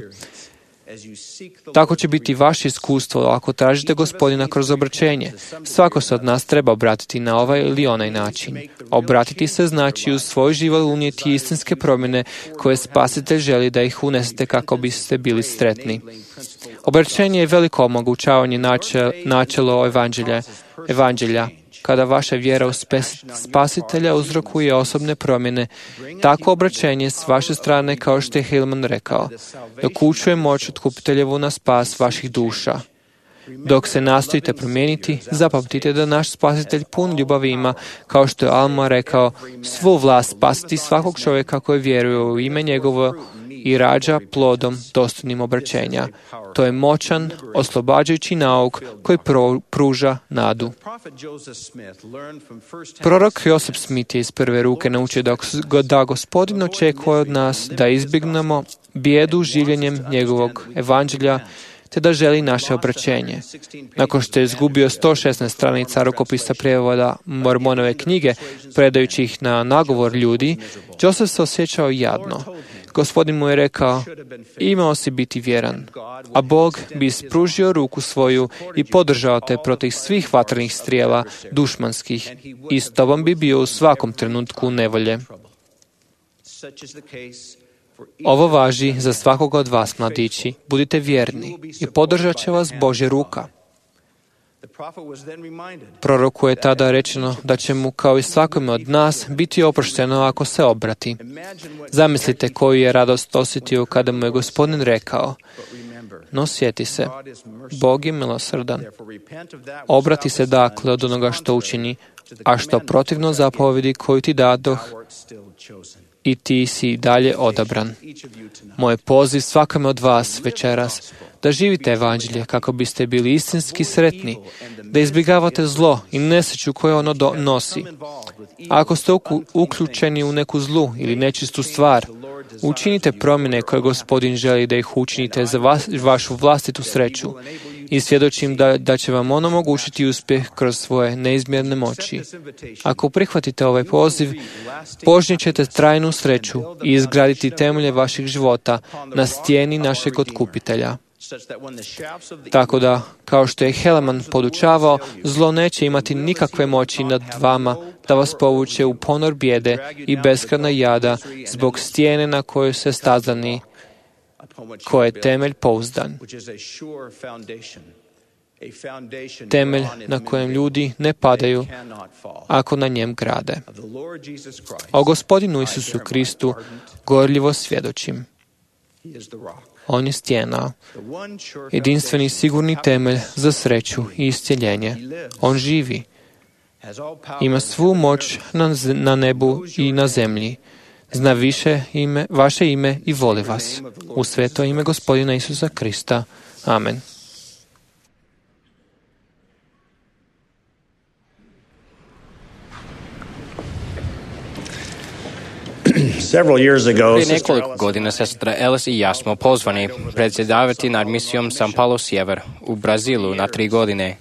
Tako će biti vaše iskustvo ako tražite Gospodina kroz obraćenje. Svako se od nas treba obratiti na ovaj ili onaj način. Obratiti se znači u svoj život unijeti istinske promjene koje Spasitelj želi da ih unesete kako biste bili sretni. Obraćenje je veliko omogućavanje načel, načelo evanđelja. evanđelja. Kada vaša vjera u Spasitelja uzrokuje osobne promjene, takvo obraćenje s vaše strane, kao što je Hillman rekao, dokučuje moć otkupiteljevu na spas vaših duša. Dok se nastojite promijeniti, zapamtite da naš Spasitelj pun ljubavi ima, kao što je Alma rekao, svu vlast spasiti svakog čovjeka koji vjeruje u ime njegovo i rađa plodom dostojnim obraćenja. To je moćan, oslobađajući nauk koji pruža nadu. Prorok Joseph Smith je iz prve ruke naučio da Gospodin očekuje od nas da izbjegnemo bijedu življenjem njegovog evanđelja, te da želi naše obraćenje. Nakon što je izgubio sto šesnaest stranica rukopisa prijevoda Mormonove knjige, predajući ih na nagovor ljudi, Joseph se osjećao jadno. Gospodin mu je rekao, imao si biti vjeran, a Bog bi ispružio ruku svoju i podržao te protiv svih vatrenih strijela dušmanskih i s tobom bi bio u svakom trenutku nevolje. Ovo važi za svakog od vas, mladići. Budite vjerni i podržat će vas Božja ruka. Proroku je tada rečeno da će mu, kao i svakome od nas, biti oprošteno ako se obrati. Zamislite koju je radost osjetio kada mu je Gospodin rekao, no sjeti se, Bog je milosrdan. Obrati se dakle od onoga što učini, a što protivno zapovjedi koju ti dadoh, i ti si dalje odabran. Moj poziv svakome od vas večeras da živite evanđelje kako biste bili istinski sretni, da izbjegavate zlo i nesreću koju ono nosi. A ako ste uključeni u neku zlu ili nečistu stvar, učinite promjene koje Gospodin želi da ih učinite za vas, vašu vlastitu sreću i svjedočim da, da će vam ono omogućiti uspjeh kroz svoje neizmjerne moći. Ako prihvatite ovaj poziv, požnjet ćete trajnu sreću i izgraditi temelje vaših života na stijeni našeg otkupitelja. Tako da, kao što je Helaman podučavao, zlo neće imati nikakve moći nad vama da vas povuče u ponor bijede i beskrajna jada zbog stijene na kojoj se stazani, koje je temelj pouzdan. temelj na kojem ljudi ne padaju ako na njem grade. O Gospodinu Isusu Kristu gorljivo svjedočim. On je stijena, jedinstveni sigurni temelj za sreću i iscjeljenje. On živi. Ima svu moć na, na nebu i na zemlji. Zna više ime, vaše ime i voli vas. U sveto ime Gospodina Isusa Krista. Amen. Prije nekoliko godina sestra Ellis i ja smo pozvani predsjedavati nad misijom San Paulo Sjever u Brazilu na tri godine.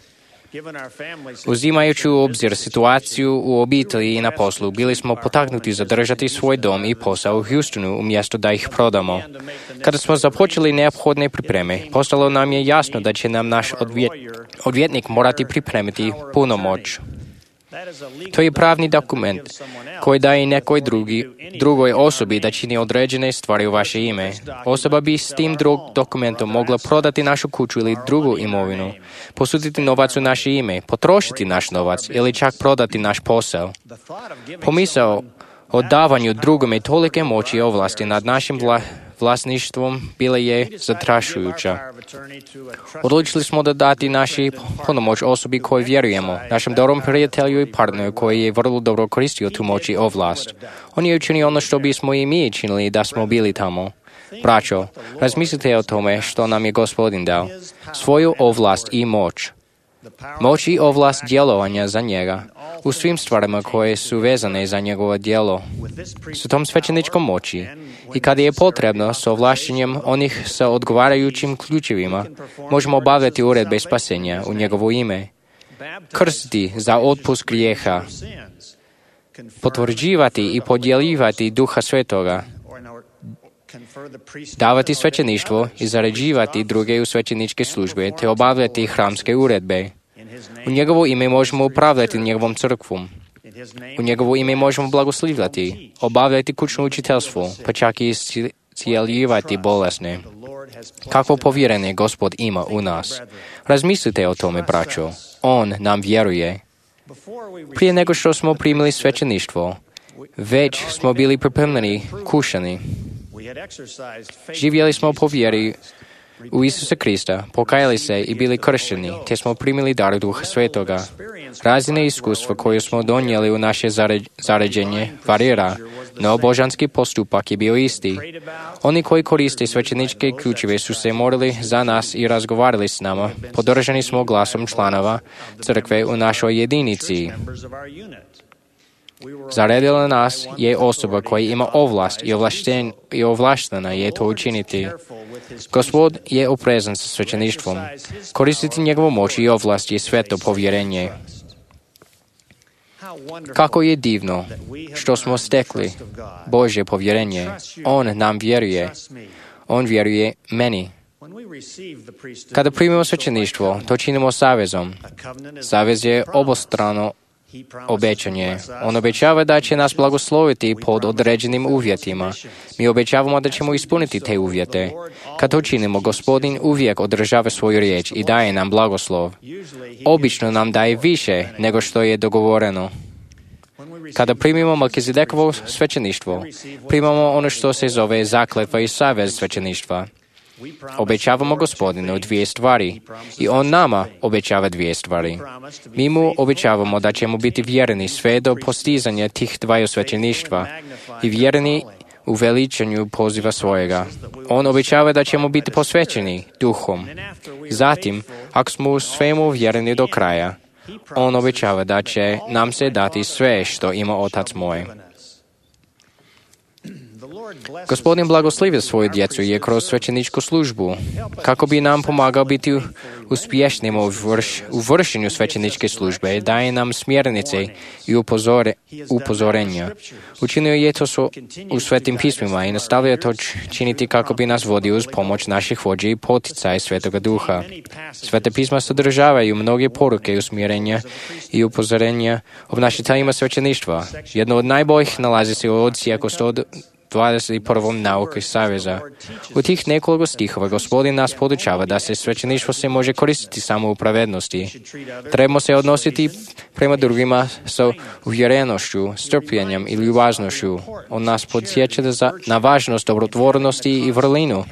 Uzimajući u obzir situaciju u obitelji i na poslu, bili smo potaknuti zadržati svoj dom i posao u Houstonu umjesto da ih prodamo. Kada smo započeli neophodne pripreme, postalo nam je jasno da će nam naš odvjet, odvjetnik morati pripremiti punomoć. To je pravni dokument koji daje nekoj drugi, drugoj osobi da čini određene stvari u vaše ime. Osoba bi s tim drug dokumentom mogla prodati našu kuću ili drugu imovinu, posuditi novac u naše ime, potrošiti naš novac ili čak prodati naš posao. Pomisao o davanju drugome tolike moći i ovlasti nad našim vla, vlasništvom bila je zastrašujuća. Odlučili smo da dati naši punomoć osobi koju vjerujemo, našem dobrom prijatelju i partneru koji je vrlo dobro koristio tu moć i ovlast. On je učinio ono što bismo i mi činili da smo bili tamo. Braćo, razmislite o tome što nam je Gospodin dao, svoju ovlast i moć. Moć i ovlast djelovanja za njega u svim stvarima koje su vezane za njegovo djelo. S tom svećeničkom moći i kada je potrebno s ovlašćenjem onih sa odgovarajućim ključevima možemo obavljati uredbe spasenja u njegovo ime, krstiti za otpust grijeha, potvrđivati i podjeljivati Duha Svetoga, davati svećeništvo i zaređivati druge u svećeničke službe te obavljati hramske uredbe. U njegovo ime možemo upravljati njegovom crkvom. U njegovo ime možemo blagoslivljati, obavljati kućno učiteljstvo, pa čak i iscijeljivati bolesne. Kakvo povjerenje Gospod ima u nas. Razmislite o tome, braćo. On nam vjeruje. Prije nego što smo primili svećeništvo, već smo bili pripremljeni, kušani. Živjeli smo po vjeri u Isusa Krista, pokajali se i bili kršćeni, te smo primili dar Duha Svetoga. Razine iskustva koje smo donijeli u naše zaređenje varira, no božanski postupak je bio isti. Oni koji koriste svećeničke ključeve su se morali za nas i razgovarali s nama. Podržani smo glasom članova crkve u našoj jedinici. Zaredila nas je osoba koja ima ovlast i, ovlašten, i ovlaštena je to učiniti. Gospod je oprezan sa svećeništvom. Koristiti njegovu moć i ovlast je sveto povjerenje. Kako je divno što smo stekli Božje povjerenje. On nam vjeruje. On vjeruje meni. Kada primimo svećeništvo, to činimo savezom. Savez je obostrano obećanje. On obećava da će nas blagosloviti pod određenim uvjetima. Mi obećavamo da ćemo ispuniti te uvjete. Kad to činimo, Gospodin uvijek održava svoju riječ i daje nam blagoslov. Obično nam daje više nego što je dogovoreno. Kada primimo Melkizedekovo svećeništvo, primamo ono što se zove zakletva i savez svećeništva. Obećavamo Gospodinu dvije stvari i On nama obećava dvije stvari. Mi mu obećavamo da ćemo biti vjerni sve do postizanja tih dvaju svećeništva i vjerni u veličanju poziva svojega. On obećava da ćemo biti posvećeni duhom. Zatim, ako smo u svemu vjerni do kraja, On obećava da će nam se dati sve što ima Otac moj. Gospodin blagoslivio svoju djecu je kroz svećeničku službu, kako bi nam pomagao biti uspješnim u, vrš, u vršenju svećeničke službe, daje nam smjernice i upozore, upozorenja. Učinio je to su, u svetim pismima i nastavlja to činiti kako bi nas vodio uz pomoć naših vođa i poticaja Svetoga Duha. Svete pisma sadržavaju mnoge poruke i usmjerenja i upozorenja obnašiteljima svećeništva. Jedno od najboljih nalazi se u odsjeku sto dvadeset prvom nauke Saveza. U tih nekoliko stihova Gospodin nas podučava da se svećeništvo se može koristiti samo u pravednosti. Trebamo se odnositi prema drugima sa uvjerenošću, strpljenjem i ljubaznošću. On nas podsjeća na važnost dobrotvornosti i vrlinu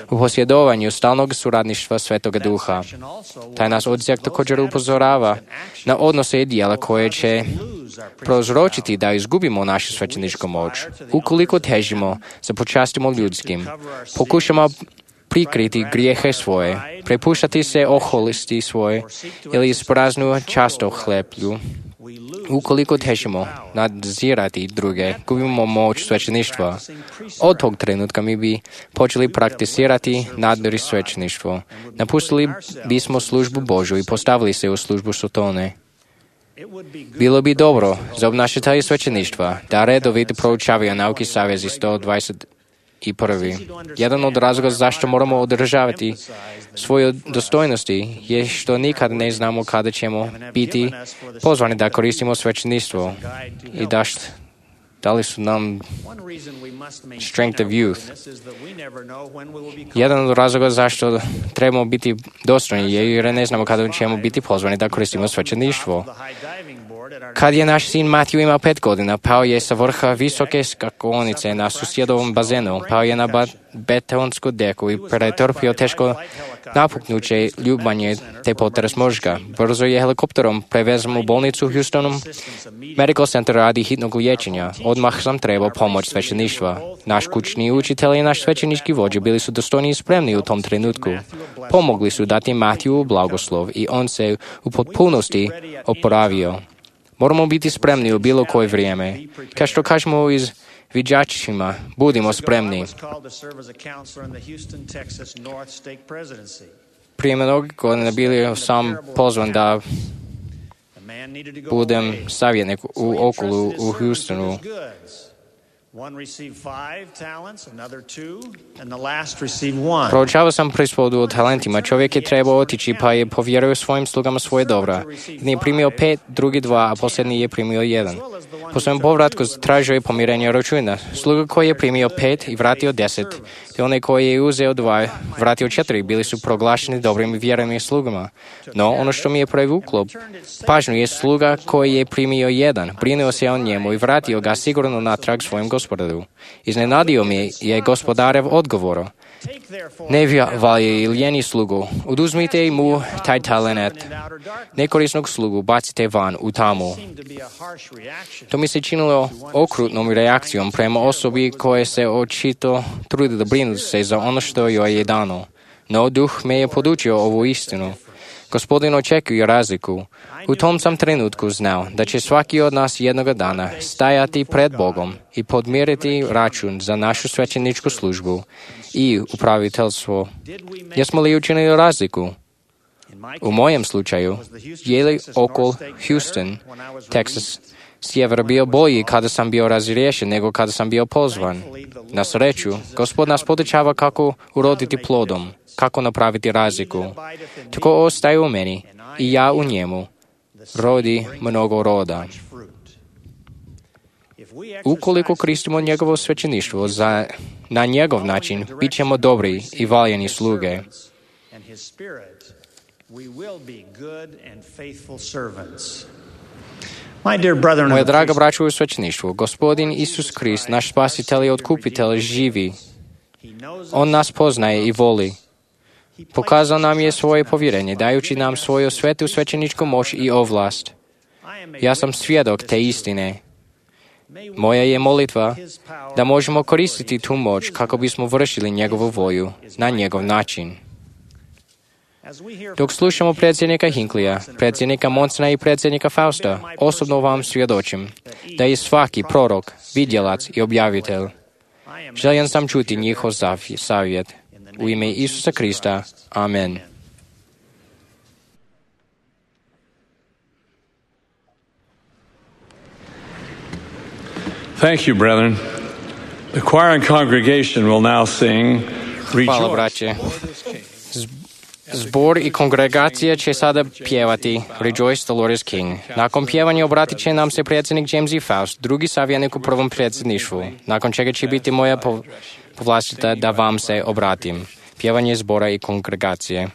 u posjedovanju stalnog suradništva Svetoga Duha. Taj nas odsjek također upozorava na odnose i dijela koje će prouzročiti da izgubimo našu svećeničku moć. Ukoliko težimo za počastimo ljudskim, pokušamo prikriti grijehe svoje, prepuštati se oholisti svoje ili ispraznu často hleplju. Ukoliko težimo nadzirati druge, gubimo moć svećeništva. Od tog trenutka mi bi počeli prakticirati nadri svećeništvo. Napustili bismo službu Božju i postavili se u službu Sotone. Bilo bi dobro za obnašatelje svećeništva da redovito proučavaju nauki Savezi sto dvadeset prvi. Jedan od razloga zašto moramo održavati svoje dostojnosti je što nikad ne znamo kada ćemo biti pozvani da koristimo svećeništvo i da, št, da li su nam strength of youth. Jedan od razloga zašto trebamo biti dostojni je jer ne znamo kada ćemo biti pozvani da koristimo svećeništvo. Kad je naš sin Matthew imao pet godina, pao je sa vrha visoke skakonice na susjedovom bazenu, pao je na ba- betonsku deku i pretrpio teško napuknuće ljubanje te potres mozga. Brzo je helikopterom prevezan u bolnicu u Houstonu Medical Center radi hitnog liječenja. Odmah sam trebao pomoć svećeništva. Naš kućni učitelj i naš svećenički vođa bili su dostojni i spremni u tom trenutku. Pomogli su dati Matthewu blagoslov i on se u potpunosti oporavio. Moramo biti spremni u bilo koje vrijeme. Kao što kažemo iz viđačima, budimo spremni. Prije mnogo godina bili sam pozvan da budem savjetnik u okolu u Houstonu. Proučavao sam prispodu o talentima. Čovjek je trebao otići pa je povjerio svojim slugama svoje dobra. Jedan je primio pet, drugi dva, a posljednji je primio jedan. Po svojem povratku tražio je pomirenje računa. Sluga koji je primio pet i vratio deset, te onaj koji je uzeo dva, vratio četiri, bili su proglašeni dobrim i vjernim slugama. No, ono što mi je privuklo pažnju je sluga koji je primio jedan, brinuo se o njemu i vratio ga sigurno natrag svojim gospodaru. Iznenadio mi je gospodarev odgovor. Ne valje lijeni slugu, oduzmite mu taj talent. Nekorisnog slugu bacite van u tamu. To mi se činilo okrutnom reakcijom prema osobi koje se očito trudi da brinu se za ono što joj je dano. No duh me je podučio ovu istinu. Gospodin očekuje razliku. U tom sam trenutku znao da će svaki od nas jednoga dana stajati pred Bogom i podmiriti račun za našu svećeničku službu i upraviteljstvo. Jesmo li učinili razliku? U mojem slučaju, je li okol Houston, Texas, sjever bio bolji kada sam bio razriješen nego kada sam bio pozvan. Na sreću, Gospod nas podučava kako uroditi plodom, kako napraviti razliku. Tako ostaje u meni i ja u njemu. Rodi mnogo roda. Ukoliko koristimo njegovo svećeništvo za, na njegov način, bit ćemo dobri i valjani sluge. Moja draga braćo u svećeništvu, Gospodin Isus Krist, naš spasitelj i otkupitelj, živi. On nas poznaje i voli. Pokazao nam je svoje povjerenje, dajući nam svoju svetu svećeničku moć i ovlast. Ja sam svjedok te istine. Moja je molitva da možemo koristiti tu moć kako bismo vršili njegovu volju na njegov način. Dok slušamo predsjednika Hinklija, predsjednika Monsona i predsjednika Fausta, osobno vam svjedočim da je svaki prorok, vidjelac i objavitelj. Željen sam čuti njihov savjet. U ime Isusa Krista. Amen. Thank you, brethren. The choir and congregation will now sing Hvala, Rejoice. braće. Zbor i kongregacija će sada pjevati Rejoice, the Lord is King. Nakon pjevanja obratit će nam se predsjednik James E. Faust, drugi savjetnik u prvom predsjedništvu, nakon čega će biti moja povlastica da vam se obratim. Pjevanje zbora i kongregacije.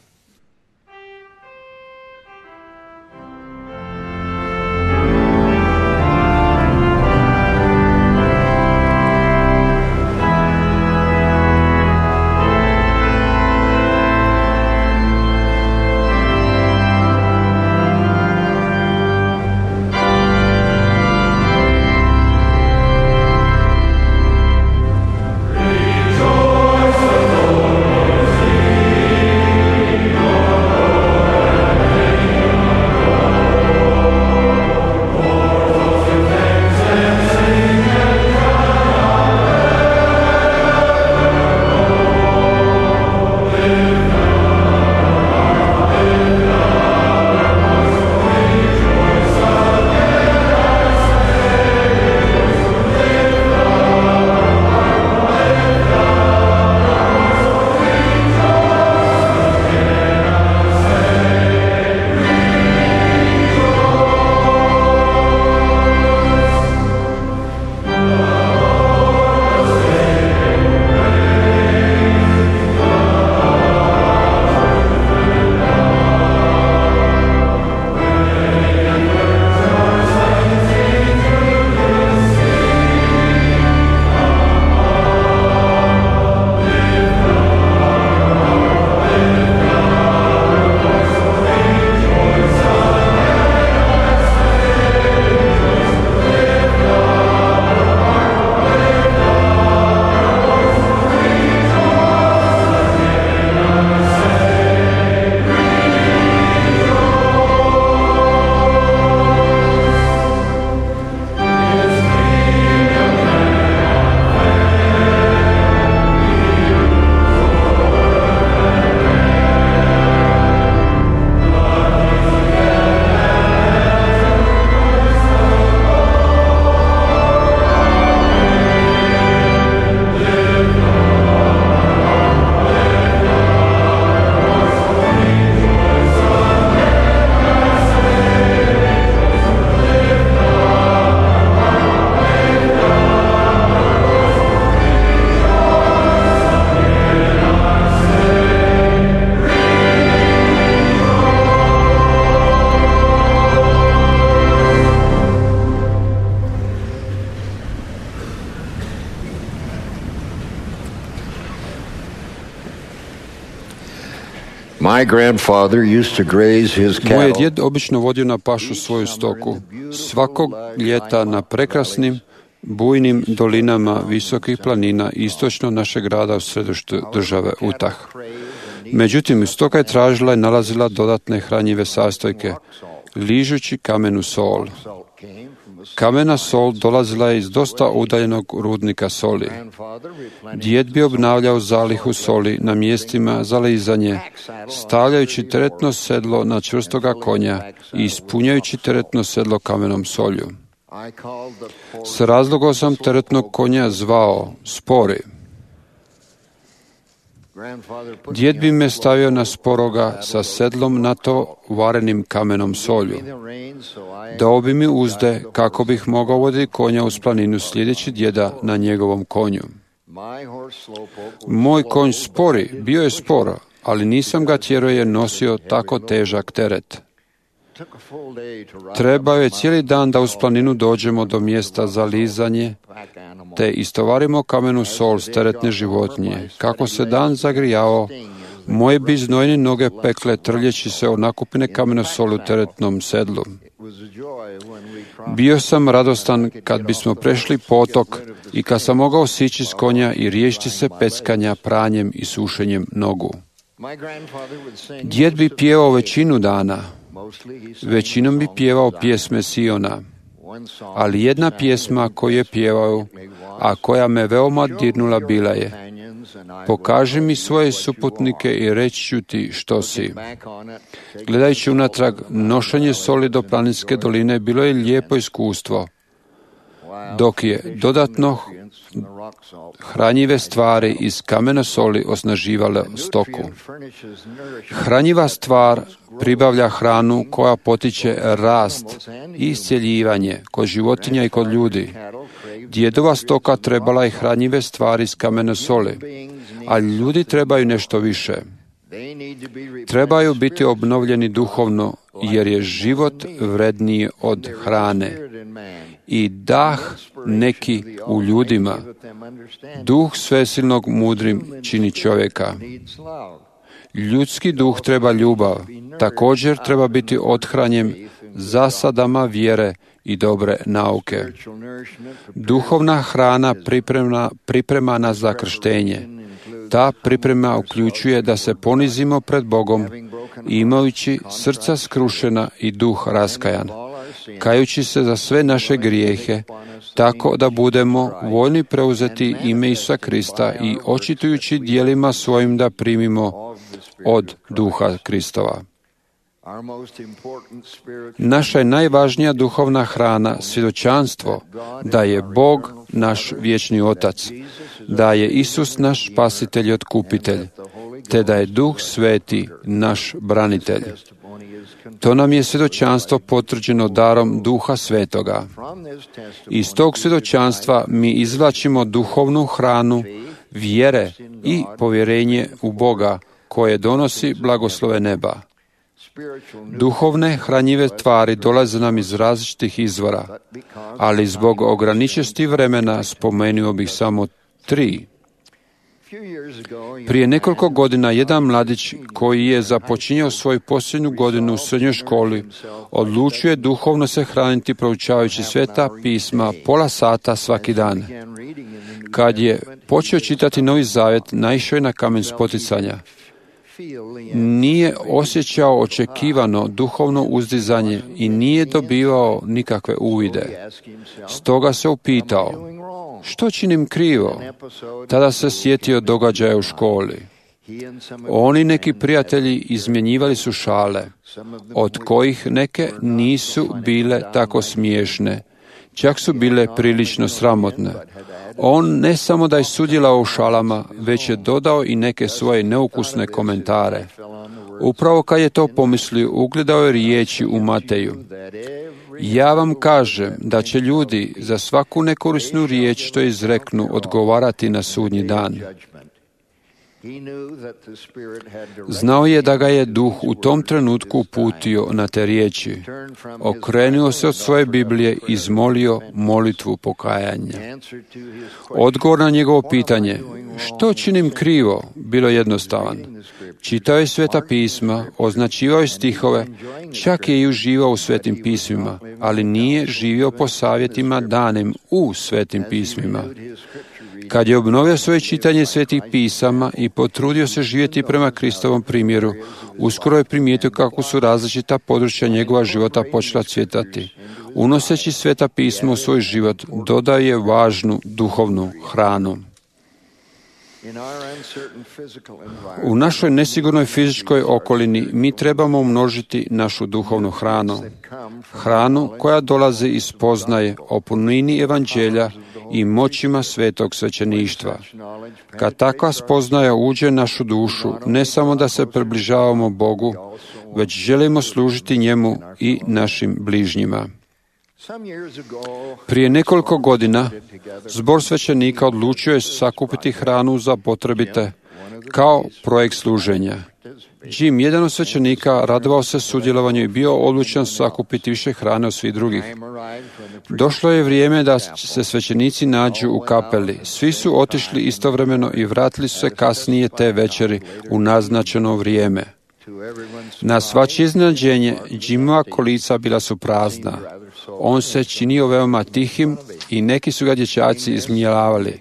My grandfather used to graze his cattle. Moj je djed obično vodio na pašu svoju stoku. Svakog ljeta na prekrasnim, bujnim dolinama visokih planina istočno našeg grada u središtu države Utah. Međutim, stoka je tražila i nalazila dodatne hranjive sastojke, ližući kamenu sol. Kamena sol dolazila je iz dosta udaljenog rudnika soli. Djed bi obnavljao zalihu soli na mjestima za lizanje, stavljajući teretno sedlo na čvrstoga konja i ispunjajući teretno sedlo kamenom solju. S razlogom sam teretnog konja zvao Spori. Djed bi me stavio na sporoga sa sedlom na to varenim kamenom solju. Dao bi mi uzde kako bih mogao voditi konja uz planinu sljedeći djeda na njegovom konju. Moj konj Spori bio je spor, ali nisam ga tjerao jer nosio tako težak teret. Trebao je cijeli dan da uz planinu dođemo do mjesta za lizanje, te istovarimo kamenu sol s teretne životinje. Kako se dan zagrijao, moje bi znojne noge pekle trljeći se o nakupine kamene soli u teretnom sedlu. Bio sam radostan kad bismo prešli potok i kad sam mogao sići s konja i riješiti se peckanja, pranjem i sušenjem nogu. Djed bi pjevao većinu dana. Većinom bi pjevao pjesme Siona, ali jedna pjesma koju je pjevao, a koja me veoma dirnula bila je: pokaži mi svoje suputnike i reći ću ti što si. Gledajući unatrag, nošenje soli do planinske doline bilo je lijepo iskustvo. dok je dodatno hranjive stvari iz kamena soli osnaživale stoku. Hranjiva stvar pribavlja hranu koja potiče rast i iscjeljivanje kod životinja i kod ljudi. Djedova stoka trebala je hranjive stvari iz kamena soli, ali ljudi trebaju nešto više. Trebaju biti obnovljeni duhovno, jer je život vredniji od hrane. I dah neki u ljudima, duh svesilnog mudrim čini čovjeka. Ljudski duh treba ljubav, također treba biti othranjen zasadama vjere i dobre nauke. Duhovna hrana priprema, priprema nas za krštenje. Ta priprema uključuje da se ponizimo pred Bogom, imajući srca skrušena i duh raskajan, kajući se za sve naše grijehe, tako da budemo voljni preuzeti ime Isusa Krista i očitujući djelima svojim da primimo od duha Kristova. Naša je najvažnija duhovna hrana svjedočanstvo da je Bog naš vječni Otac, da je Isus naš spasitelj i otkupitelj, te da je Duh Sveti naš branitelj. To nam je svjedočanstvo potvrđeno darom Duha Svetoga. Iz tog svjedočanstva mi izvlačimo duhovnu hranu, vjere i povjerenje u Boga koje donosi blagoslove neba. Duhovne hranjive tvari dolaze nam iz različitih izvora, ali zbog ograničenosti vremena spomenuo bih samo tri. Prije nekoliko godina jedan mladić koji je započinjao svoju posljednju godinu u srednjoj školi odlučio je duhovno se hraniti proučavajući Sveta pisma pola sata svaki dan. Kad je počeo čitati Novi Zavjet, naišao je na kamen spoticanja. Nije osjećao očekivano duhovno uzdizanje i nije dobivao nikakve uvide. Stoga se upitao, što činim krivo? Tada se sjetio događaja u školi. Oni neki prijatelji izmjenjivali su šale, od kojih neke nisu bile tako smiješne, čak su bile prilično sramotne. On ne samo da je sudjelovao u šalama, već je dodao i neke svoje neukusne komentare. Upravo kad je to pomislio, ugledao je riječi u Mateju. Ja vam kažem da će ljudi za svaku nekorisnu riječ što izreknu odgovarati na sudnji dan. Znao je da ga je Duh u tom trenutku uputio na te riječi. Okrenuo se od svoje Biblije i izmolio molitvu pokajanja. Odgovor na njegovo pitanje, što činim krivo, bilo jednostavan. Čitao je Sveta pisma, označivao je stihove, čak je i uživao u Svetim pismima, ali nije živio po savjetima danim u Svetim pismima. Kad je obnovio svoje čitanje Svetih pisama i potrudio se živjeti prema Kristovom primjeru, uskoro je primijetio kako su različita područja njegova života počela cvjetati. Unoseći Sveta pisma u svoj život, dodao je važnu duhovnu hranu. U našoj nesigurnoj fizičkoj okolini mi trebamo umnožiti našu duhovnu hranu. Hranu koja dolazi iz spoznaje o punini evanđelja i moćima svetog svećeništva. Kad takva spoznaja uđe našu dušu, ne samo da se približavamo Bogu, već želimo služiti njemu i našim bližnjima. Prije nekoliko godina zbor svećenika odlučio je sakupiti hranu za potrebite kao projekt služenja. Jim, jedan od svećenika, radovao se sudjelovanju i bio odlučan sakupiti više hrane od svih drugih. Došlo je vrijeme da se svećenici nađu u kapeli. Svi su otišli istovremeno i vratili su se kasnije te večeri u naznačeno vrijeme. Na svačije iznenađenje, Jimova kolica bila su prazna. On se činio veoma tihim i neki su ga dječaci izmijelavali.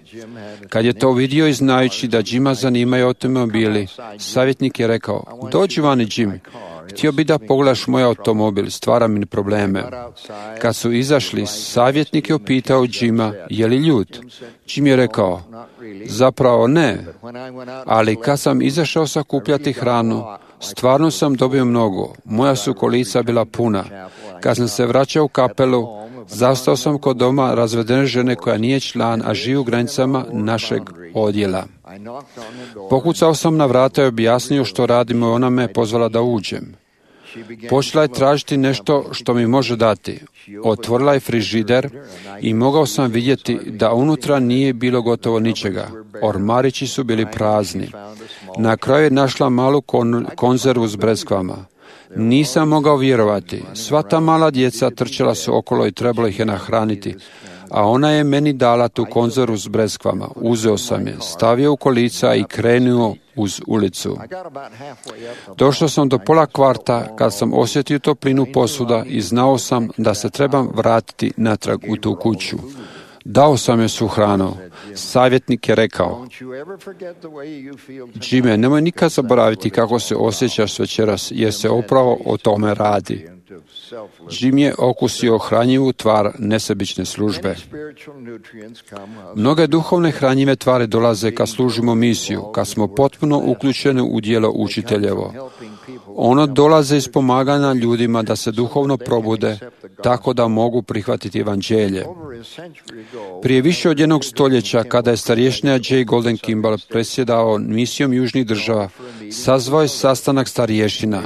Kad je to vidio i znajući da Jima zanimaju automobili, savjetnik je rekao, dođi vani Jim, htio bi da pogledaš moj automobil, stvara mi probleme. Kad su izašli, savjetnik je upitao Jima, je li ljut? Jim je rekao, zapravo ne, ali kad sam izašao sakupljati hranu, stvarno sam dobio mnogo, moja su kolica bila puna. Kad sam se vraćao u kapelu, Zastao sam kod doma razvedene žene koja nije član, a živi u granicama našeg odjela. Pokucao sam na vrata i objasnio što radimo i ona me pozvala da uđem. Počela je tražiti nešto što mi može dati. Otvorila je frižider i mogao sam vidjeti da unutra nije bilo gotovo ničega. Ormarići su bili prazni. Na kraju je našla malu kon- konzervu s breskvama. Nisam mogao vjerovati. Sva ta mala djeca trčala su okolo i trebalo ih je nahraniti. A ona je meni dala tu konzervu s breskvama. Uzeo sam je, stavio u kolica i krenuo uz ulicu. Došao sam do pola kvarta kad sam osjetio toplinu posuda i znao sam da se trebam vratiti natrag u tu kuću. Dao sam joj svu hranu. Savjetnik je rekao: Jimmy, nemoj nikad zaboraviti kako se osjećaš večeras, jer se upravo o tome radi. Jim je okusio hranjivu tvar nesebične službe. Mnoge duhovne hranjive tvari dolaze kad služimo misiju, kad smo potpuno uključeni u djelo učiteljevo. Ono dolaze iz pomaganja ljudima da se duhovno probude, tako da mogu prihvatiti evanđelje. Prije više od jednog stoljeća, kada je starješina J. Golden Kimball presjedao misijom južnih država, sazvao je sastanak starješina.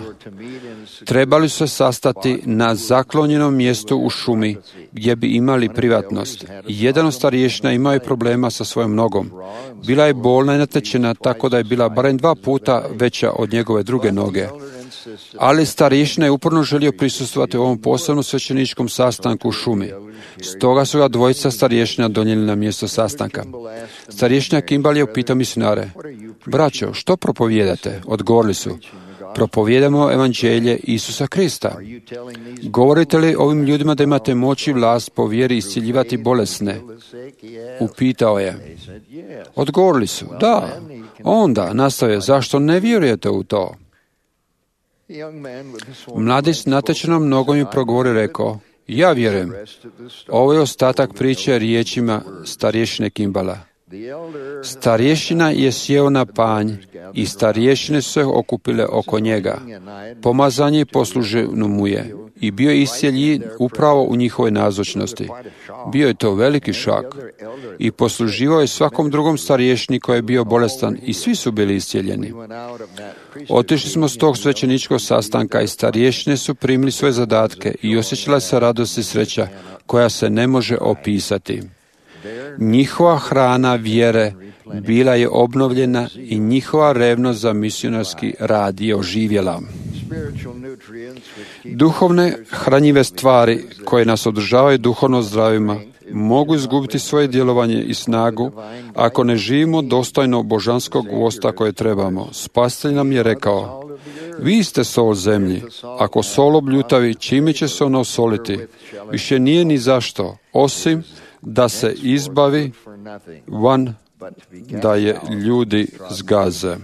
Trebali su se sastati na zaklonjenom mjestu u šumi, gdje bi imali privatnost. Jedan od starješina imao je problema sa svojom nogom. Bila je bolna i natečena, tako da je bila barem dva puta veća od njegove druge noge. Ali starješina je uporno želio prisustvovati u ovom posebnom svećeničkom sastanku u šumi. Stoga su ga dvojica starješina donijeli na mjesto sastanka. Starješina Kimball je upitao misionare: Braćo, što propovijedate? Odgovorili su: Propovijedamo evanđelje Isusa Krista. Govorite li ovim ljudima da imate moć i vlast po vjeri isciljivati bolesne? Upitao je. Odgovorili su: Da. Onda nastavio: Zašto ne vjerujete u to? Mladić s natečenom nogom je progovorio i rekao: Ja vjerujem. Ovo je ostatak priče riječima starješine Kimballa. Starješina je sjeo na panj i starješine su se okupile oko njega. Pomazanje posluženo mu je i bio je iscijeljen upravo u njihovoj nazočnosti. Bio je to veliki šok i posluživao je svakom drugom starješini koji je bio bolestan i svi su bili iscijeljeni. Otišli smo s tog svećeničkog sastanka i starješine su primili svoje zadatke i osjećala se radost i sreća koja se ne može opisati. Njihova hrana vjere bila je obnovljena i njihova revnost za misionarski rad je oživjela. Duhovne hranjive stvari koje nas održavaju duhovno zdravima mogu izgubiti svoje djelovanje i snagu ako ne živimo dostojno božanskog vosta koje trebamo. Spasitelj nam je rekao: Vi ste sol zemlji. Ako sol obljutavi, čime će se ono osoliti? Više nije ni zašto, osim da se izbavi van, da je ljudi zgaze.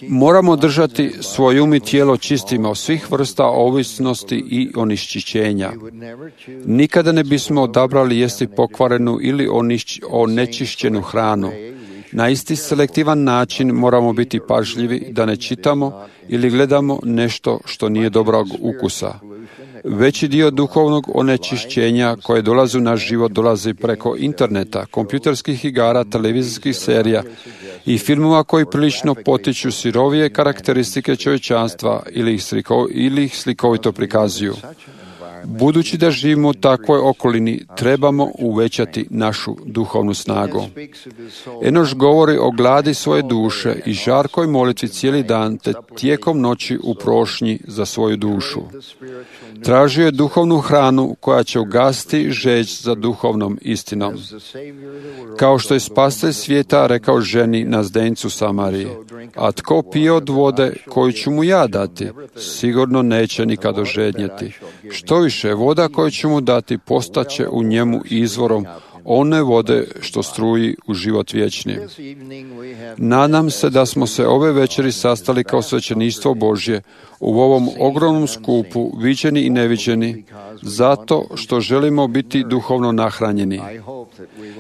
Moramo držati svoj um i tijelo čistima od svih vrsta ovisnosti i onečišćenja. Nikada ne bismo odabrali jesti pokvarenu ili onečišćenu hranu. Na isti selektivan način moramo biti pažljivi da ne čitamo ili gledamo nešto što nije dobrog ukusa. Veći dio duhovnog onečišćenja koje dolazi u naš život dolazi preko interneta, kompjuterskih igara, televizijskih serija i filmova koji prilično potiču sirovije karakteristike čovječanstva ili ih, sliko, ili ih slikovito prikazuju. Budući da živimo u takvoj okolini, trebamo uvećati našu duhovnu snagu. Enoš govori o gladi svoje duše i žarkoj molitvi cijeli dan, te tijekom noći u prošnji za svoju dušu. Tražio je duhovnu hranu koja će ugasiti žeđ za duhovnom istinom. Kao što je spasitelj svijeta rekao ženi na zdencu Samariji: A tko pije od vode koju ću mu ja dati, sigurno neće nikad ožednjeti. Što više, voda koju ću mu dati postaće u njemu izvorom one vode što struji u život vječni. Nadam se da smo se ove večeri sastali kao svećeništvo Božje u ovom ogromnom skupu, viđeni i neviđeni, zato što želimo biti duhovno nahranjeni.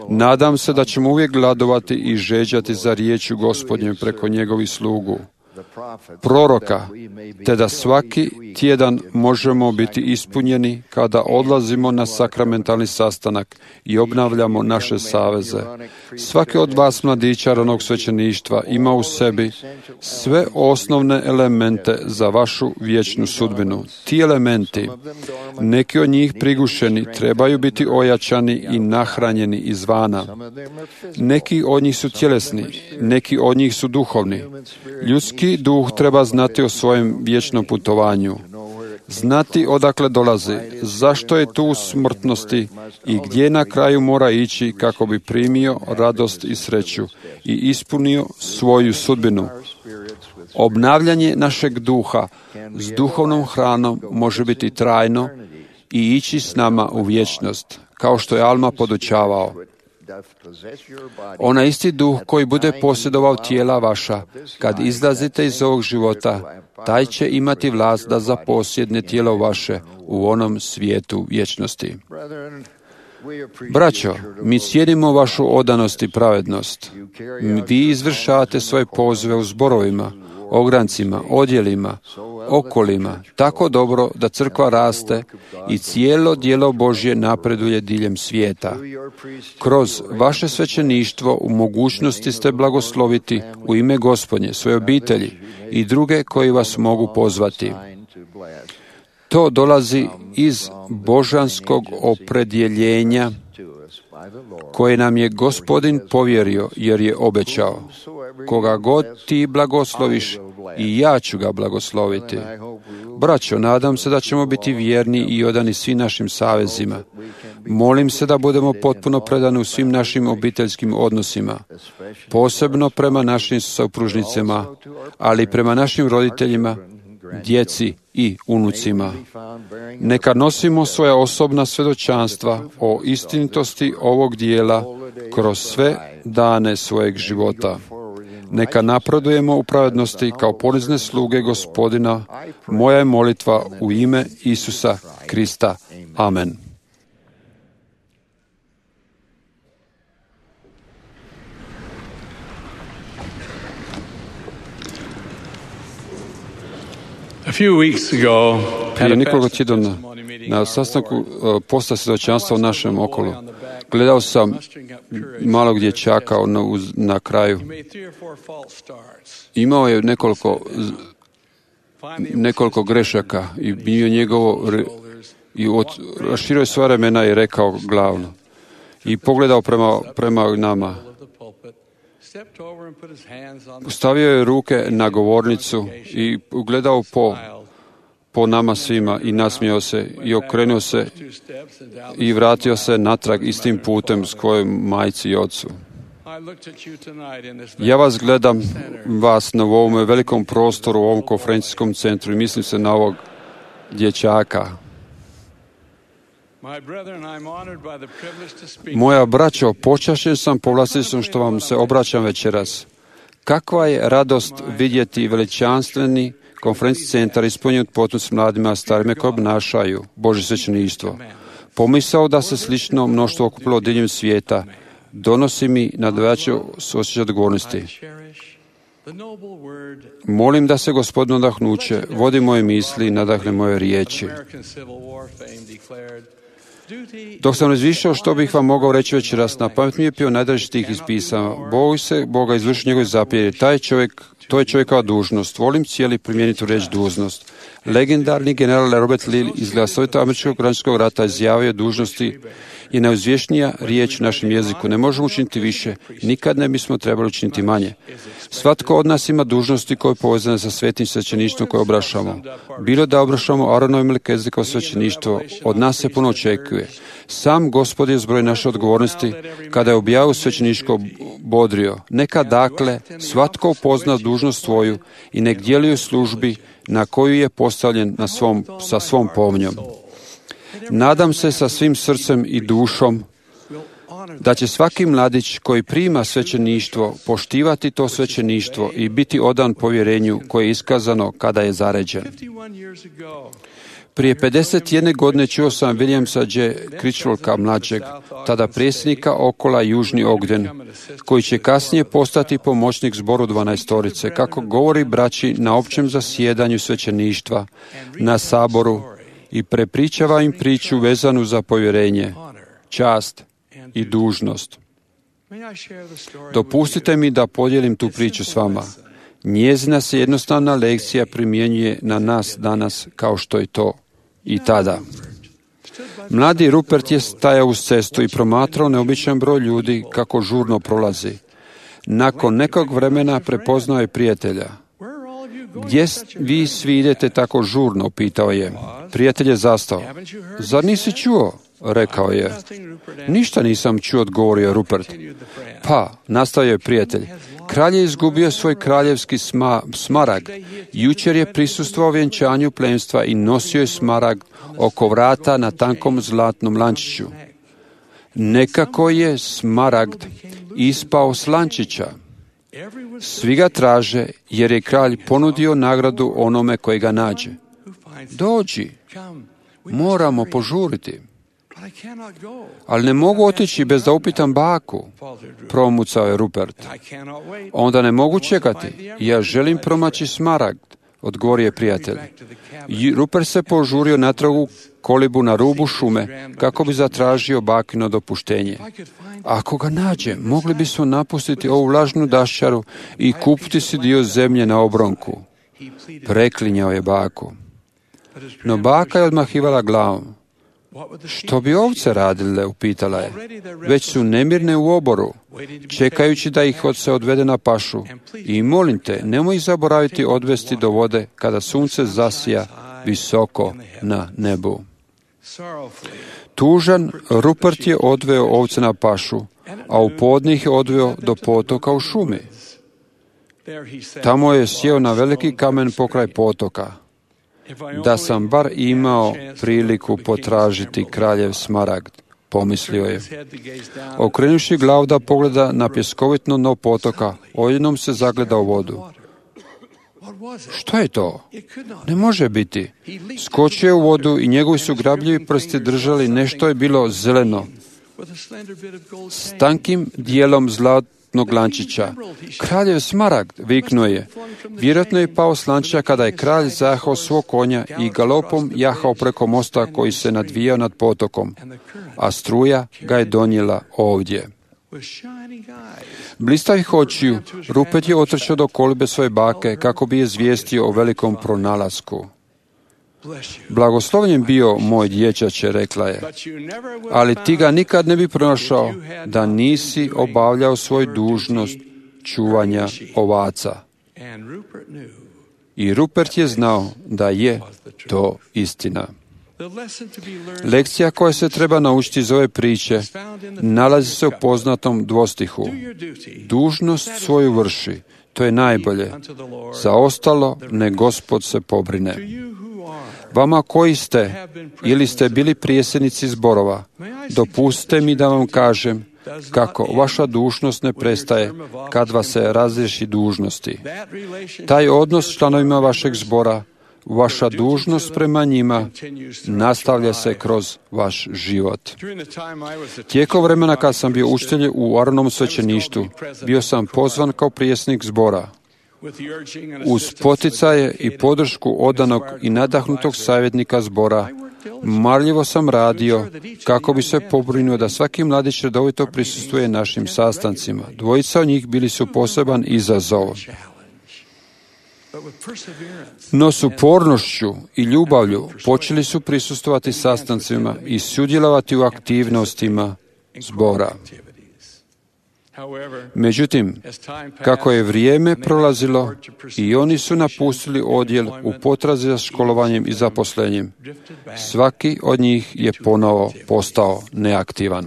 Nadam se da ćemo uvijek gladovati i žeđati za riječju Gospodnjem preko njegovih slugu. proroka, te da svaki tjedan možemo biti ispunjeni kada odlazimo na sakramentalni sastanak i obnavljamo naše saveze. Svaki od vas mladića ranog svećeništva ima u sebi sve osnovne elemente za vašu vječnu sudbinu. Ti elementi, neki od njih prigušeni, trebaju biti ojačani i nahranjeni izvana. Neki od njih su tjelesni, neki od njih su duhovni. Ljudski duh treba znati o svojem vječnom putovanju, znati odakle dolazi, zašto je tu u smrtnosti i gdje na kraju mora ići kako bi primio radost i sreću i ispunio svoju sudbinu. Obnavljanje našeg duha s duhovnom hranom može biti trajno i ići s nama u vječnost, kao što je Alma podučavao. Onaj isti duh koji bude posjedovao tijela vaša, kad izlazite iz ovog života, taj će imati vlast da zaposjedne tijelo vaše u onom svijetu vječnosti. Braćo, mi cijenimo vašu odanost i pravednost. Vi izvršavate svoje pozive u zborovima, ograncima, odjelima, okolima, tako dobro da crkva raste i cijelo djelo Božje napreduje diljem svijeta. Kroz vaše svećeništvo u mogućnosti ste blagosloviti u ime Gospodnje svoje obitelji i druge koji vas mogu pozvati. To dolazi iz božanskog opredjeljenja koje nam je Gospodin povjerio, jer je obećao: koga god ti blagosloviš, i ja ću ga blagosloviti. Braćo, nadam se da ćemo biti vjerni i odani svim našim savezima. Molim se da budemo potpuno predani u svim našim obiteljskim odnosima, posebno prema našim supružnicama, ali i prema našim roditeljima, djeci i unucima. Neka nosimo svoja osobna svjedočanstva o istinitosti ovog dijela kroz sve dane svojeg života. Neka napredujemo u pravednosti kao ponizne sluge Gospodina. Moja je molitva u ime Isusa Krista. Amen. Prije nekoliko tjedana na sastanku posta svjedočanstva u našem okolu gledao sam malog dječaka na, na kraju. Imao je nekoliko, nekoliko grešaka i bio njegovo i od, raširio je sva ramena i rekao glavno i pogledao prema, prema nama. Stavio je ruke na govornicu i ugledao po, po nama svima i nasmijao se i okrenuo se i vratio se natrag istim putem s kojim majci i ocu. Ja vas gledam, vas na ovom velikom prostoru, u ovom konferencijskom centru i mislim se na ovog dječaka. Moja braćo, počašćen sam povlasticom što vam se obraćam večeras. Kakva je radost vidjeti veličanstveni konferencijski centar ispunjen potpuno s mladima, starima koji obnašaju Božje svećeništvo. Pomisao da se slično mnoštvo okupilo diljem svijeta donosi mi nadveću osjećaj odgovornosti. Molim da se Gospodin nadahnuće vodi moje misli i nadahne moje riječi. Dok sam razmišljao što bih vam mogao reći večeras, na pamet mi je pio najdraži stih iz pisama. Bog se Boga izvrši njegove zapovjedi. Taj čovjek, to je čovjekova dužnost. Volim cijeli primijeniti u riječ dužnost. Legendarni general Robert Lee iz glasovita američkog građanskog rata izjavio dužnosti je najuzvješnija riječ u našem jeziku. Ne možemo učiniti više, nikad ne bismo trebali učiniti manje. Svatko od nas ima dužnosti koje je povezane sa svetim svećeništvom koje obrašamo. Bilo da obrašamo Aronovo i Melkizedekov svećeništvo, od nas se puno očekuje. Sam Gospod je zbroj naše odgovornosti kada je objavio svećeništvo bodrio. Neka dakle svatko upozna dužnost svoju i nek djeluje u službi na koju je postavljen na svom, sa svom pomnjom. Nadam se sa svim srcem i dušom da će svaki mladić koji prima svećeništvo poštivati to svećeništvo i biti odan povjerenju koje je iskazano kada je zaređen. Prije pedeset jedne godine čuo sam Williamsa J. Critchlocka mlađeg, tada predsjednika Okola Južni Ogden, koji će kasnije postati pomoćnik zboru dvanaestorice, kako govori braći na općem zasjedanju svećeništva, na saboru i prepričava im priču vezanu za povjerenje, čast i dužnost. Dopustite mi da podijelim tu priču s vama. Njezina se jednostavna lekcija primjenjuje na nas danas kao što je to i tada. Mladi Rupert je stajao uz cestu i promatrao neobičan broj ljudi kako žurno prolazi. Nakon nekog vremena prepoznao je prijatelja. Gdje vi svi idete tako žurno, pitao je. Prijatelj je zastao. Zar nisi čuo? Rekao je. Ništa nisam čuo, odgovorio Rupert. Pa, nastavio je prijatelj. Kralj je izgubio svoj kraljevski sma, smaragd. Jučer je prisustvovao vjenčanju plemstva i nosio je smaragd oko vrata na tankom zlatnom lančiću. Nekako je smaragd ispao s lančića. Svi ga traže jer je kralj ponudio nagradu onome koji ga nađe. Dođi, moramo požuriti. Ali ne mogu otići bez da upitam baku, promucao je Rupert. Onda ne mogu čekati, ja želim promaći smaragd, odgovorio je prijatelj. Rupert se požurio natrag u kolibu na rubu šume kako bi zatražio bakino dopuštenje. Ako ga nađe, mogli bismo napustiti ovu vlažnu daščaru i kupiti si dio zemlje na obronku. Preklinjao je baku. No baka je odmahivala glavom. Što bi ovce radile, upitala je. Već su nemirne u oboru, čekajući da ih se odvede na pašu. I molim te, nemoj ih zaboraviti odvesti do vode kada sunce zasija visoko na nebu. Tužan, Rupert je odveo ovce na pašu, a u podne ih je odveo do potoka u šumi. Tamo je sjeo na veliki kamen pokraj potoka. Da sam bar imao priliku potražiti kraljev smaragd, pomislio je. Okrenuši glavu da pogleda na pjeskovitno dno potoka, odjednom se zagleda u vodu. Što je to? Ne može biti. Skočio je u vodu i njegovi su grabljivi prsti držali nešto je bilo zeleno, s tankim dijelom zlatnog lančića. Kraljev smaragd, viknuo je. Vjerojatno je pao s lančića kada je kralj zahao svog konja i galopom jahao preko mosta koji se nadvijao nad potokom, a struja ga je donijela ovdje. Blistavih očiju, Rupert je otrčao do kolibe svoje bake kako bi je izvijestio o velikom pronalasku. Blagoslovljen bio moj dječače, rekla je, ali ti ga nikad ne bi pronašao da nisi obavljao svoju dužnost čuvanja ovaca. I Rupert je znao da je to istina. Lekcija koja se treba naučiti iz ove priče nalazi se u poznatom dvostihu. Dužnost svoju vrši, to je najbolje. Za ostalo ne Gospod se pobrine. Vama koji ste ili ste bili prijesednici zborova, dopustite mi da vam kažem kako vaša dužnost ne prestaje kad vas se razriješi dužnosti. Taj odnos s članovima vašeg zbora, vaša dužnost prema njima nastavlja se kroz vaš život. Tijekom vremena kad sam bio učitelj u Aronovom svećeništvu, bio sam pozvan kao prijesnik zbora. Uz poticaje i podršku odanog i nadahnutog savjetnika zbora, marljivo sam radio kako bi se pobrinuo da svaki mladić redovito prisustvuje našim sastancima. Dvojica od njih bili su poseban izazov. No s upornošću i ljubavlju počeli su prisustvovati sastancima i sudjelovati u aktivnostima zbora. Međutim, kako je vrijeme prolazilo i oni su napustili odjel u potrazi za školovanjem i zaposlenjem, svaki od njih je ponovo postao neaktivan.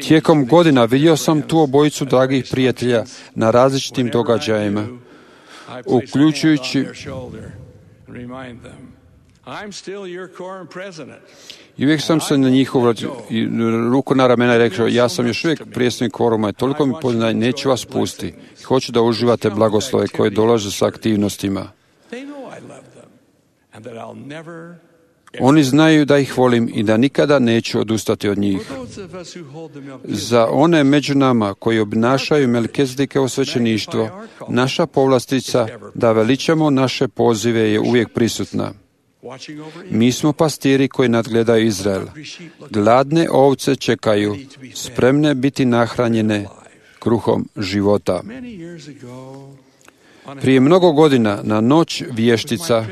Tijekom godina vidio sam tu obojicu dragih prijatelja na različitim događajima, uključujući i uvijek sam se na njihovu ruku na ramena i rekao, ja sam još uvijek prijesnik kvoruma i toliko mi poznaje, neću vas pustiti. Hoću da uživate blagoslove koje dolaze sa aktivnostima. Oni znaju da ih volim i da nikada neću odustati od njih. Za one među nama koji obnašaju Melkizedikovo svećeništvo, naša povlastica da veličamo naše pozive je uvijek prisutna. Mi smo pastiri koji nadgledaju Izrael. Gladne ovce čekaju, spremne biti nahranjene kruhom života. Prije mnogo godina na noć vještica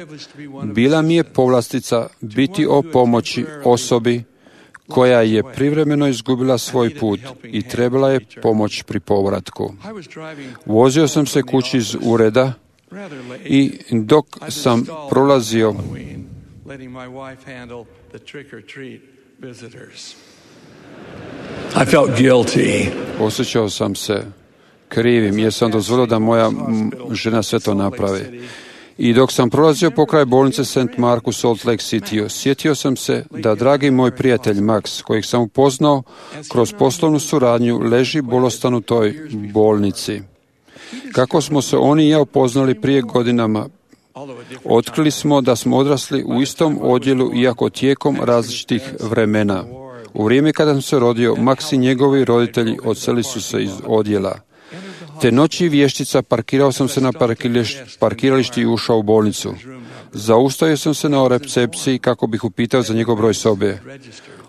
bila mi je povlastica biti o pomoći osobi koja je privremeno izgubila svoj put i trebala je pomoć pri povratku. Vozio sam se kući iz ureda i dok sam prolazio I felt guilty. osjećao sam se krivim jer sam dozvolio da moja žena sve to napravi. I dok sam prolazio pokraj bolnice Saint Mark u Salt Lake City, sjetio sam se da dragi moj prijatelj Max, kojeg sam upoznao kroz poslovnu suradnju, leži bolestan u toj bolnici. Kako smo se oni i ja upoznali prije godinama, otkrili smo da smo odrasli u istom odjelu, iako tijekom različitih vremena. U vrijeme kada sam se rodio, Max i njegovi roditelji odseli su se iz odjela. Te noći vještica parkirao sam se na parkirališti i ušao u bolnicu. Zaustavio sam se na recepciji kako bih upitao za njegov broj sobe.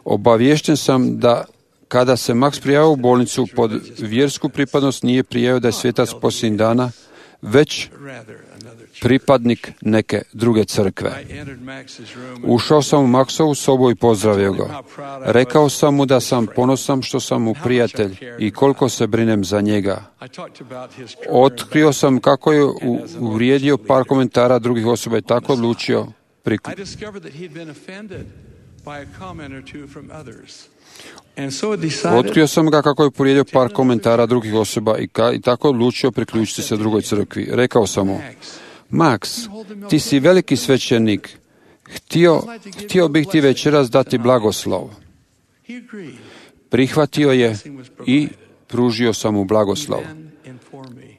Obaviješten sam da kada se Max prijavio u bolnicu pod vjersku pripadnost nije prijavio da je svetac posljednjih dana, već pripadnik neke druge crkve. Ušao sam u Maxovu sobu i pozdravio ga. Rekao sam mu da sam ponosan što sam mu prijatelj i koliko se brinem za njega. Otkrio sam kako je uvrijedio par komentara drugih osoba i tako odlučio priključiti. Otkrio sam ga kako je povrijedio par komentara drugih osoba i, ka, i tako odlučio priključiti se drugoj crkvi. Rekao sam mu, Max, ti si veliki svećenik. Htio, htio bih ti večeras dati blagoslov. Prihvatio je i pružio sam mu blagoslov.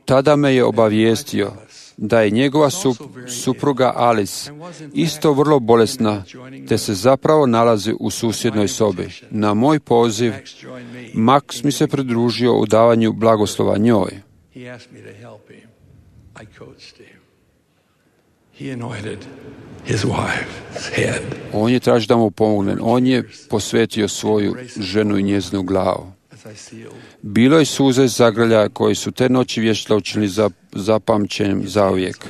Tada me je obavijestio da je njegova sup, supruga Alice isto vrlo bolesna, te se zapravo nalazi u susjednoj sobi. Na moj poziv, Max mi se pridružio u davanju blagoslova njoj. On je tražio da mu pomognem. On je posvetio svoju ženu i njezinu glavu. Bilo je suze zagrljaja koji su te noći vještila učinili za, zapamćenjem zauvijek.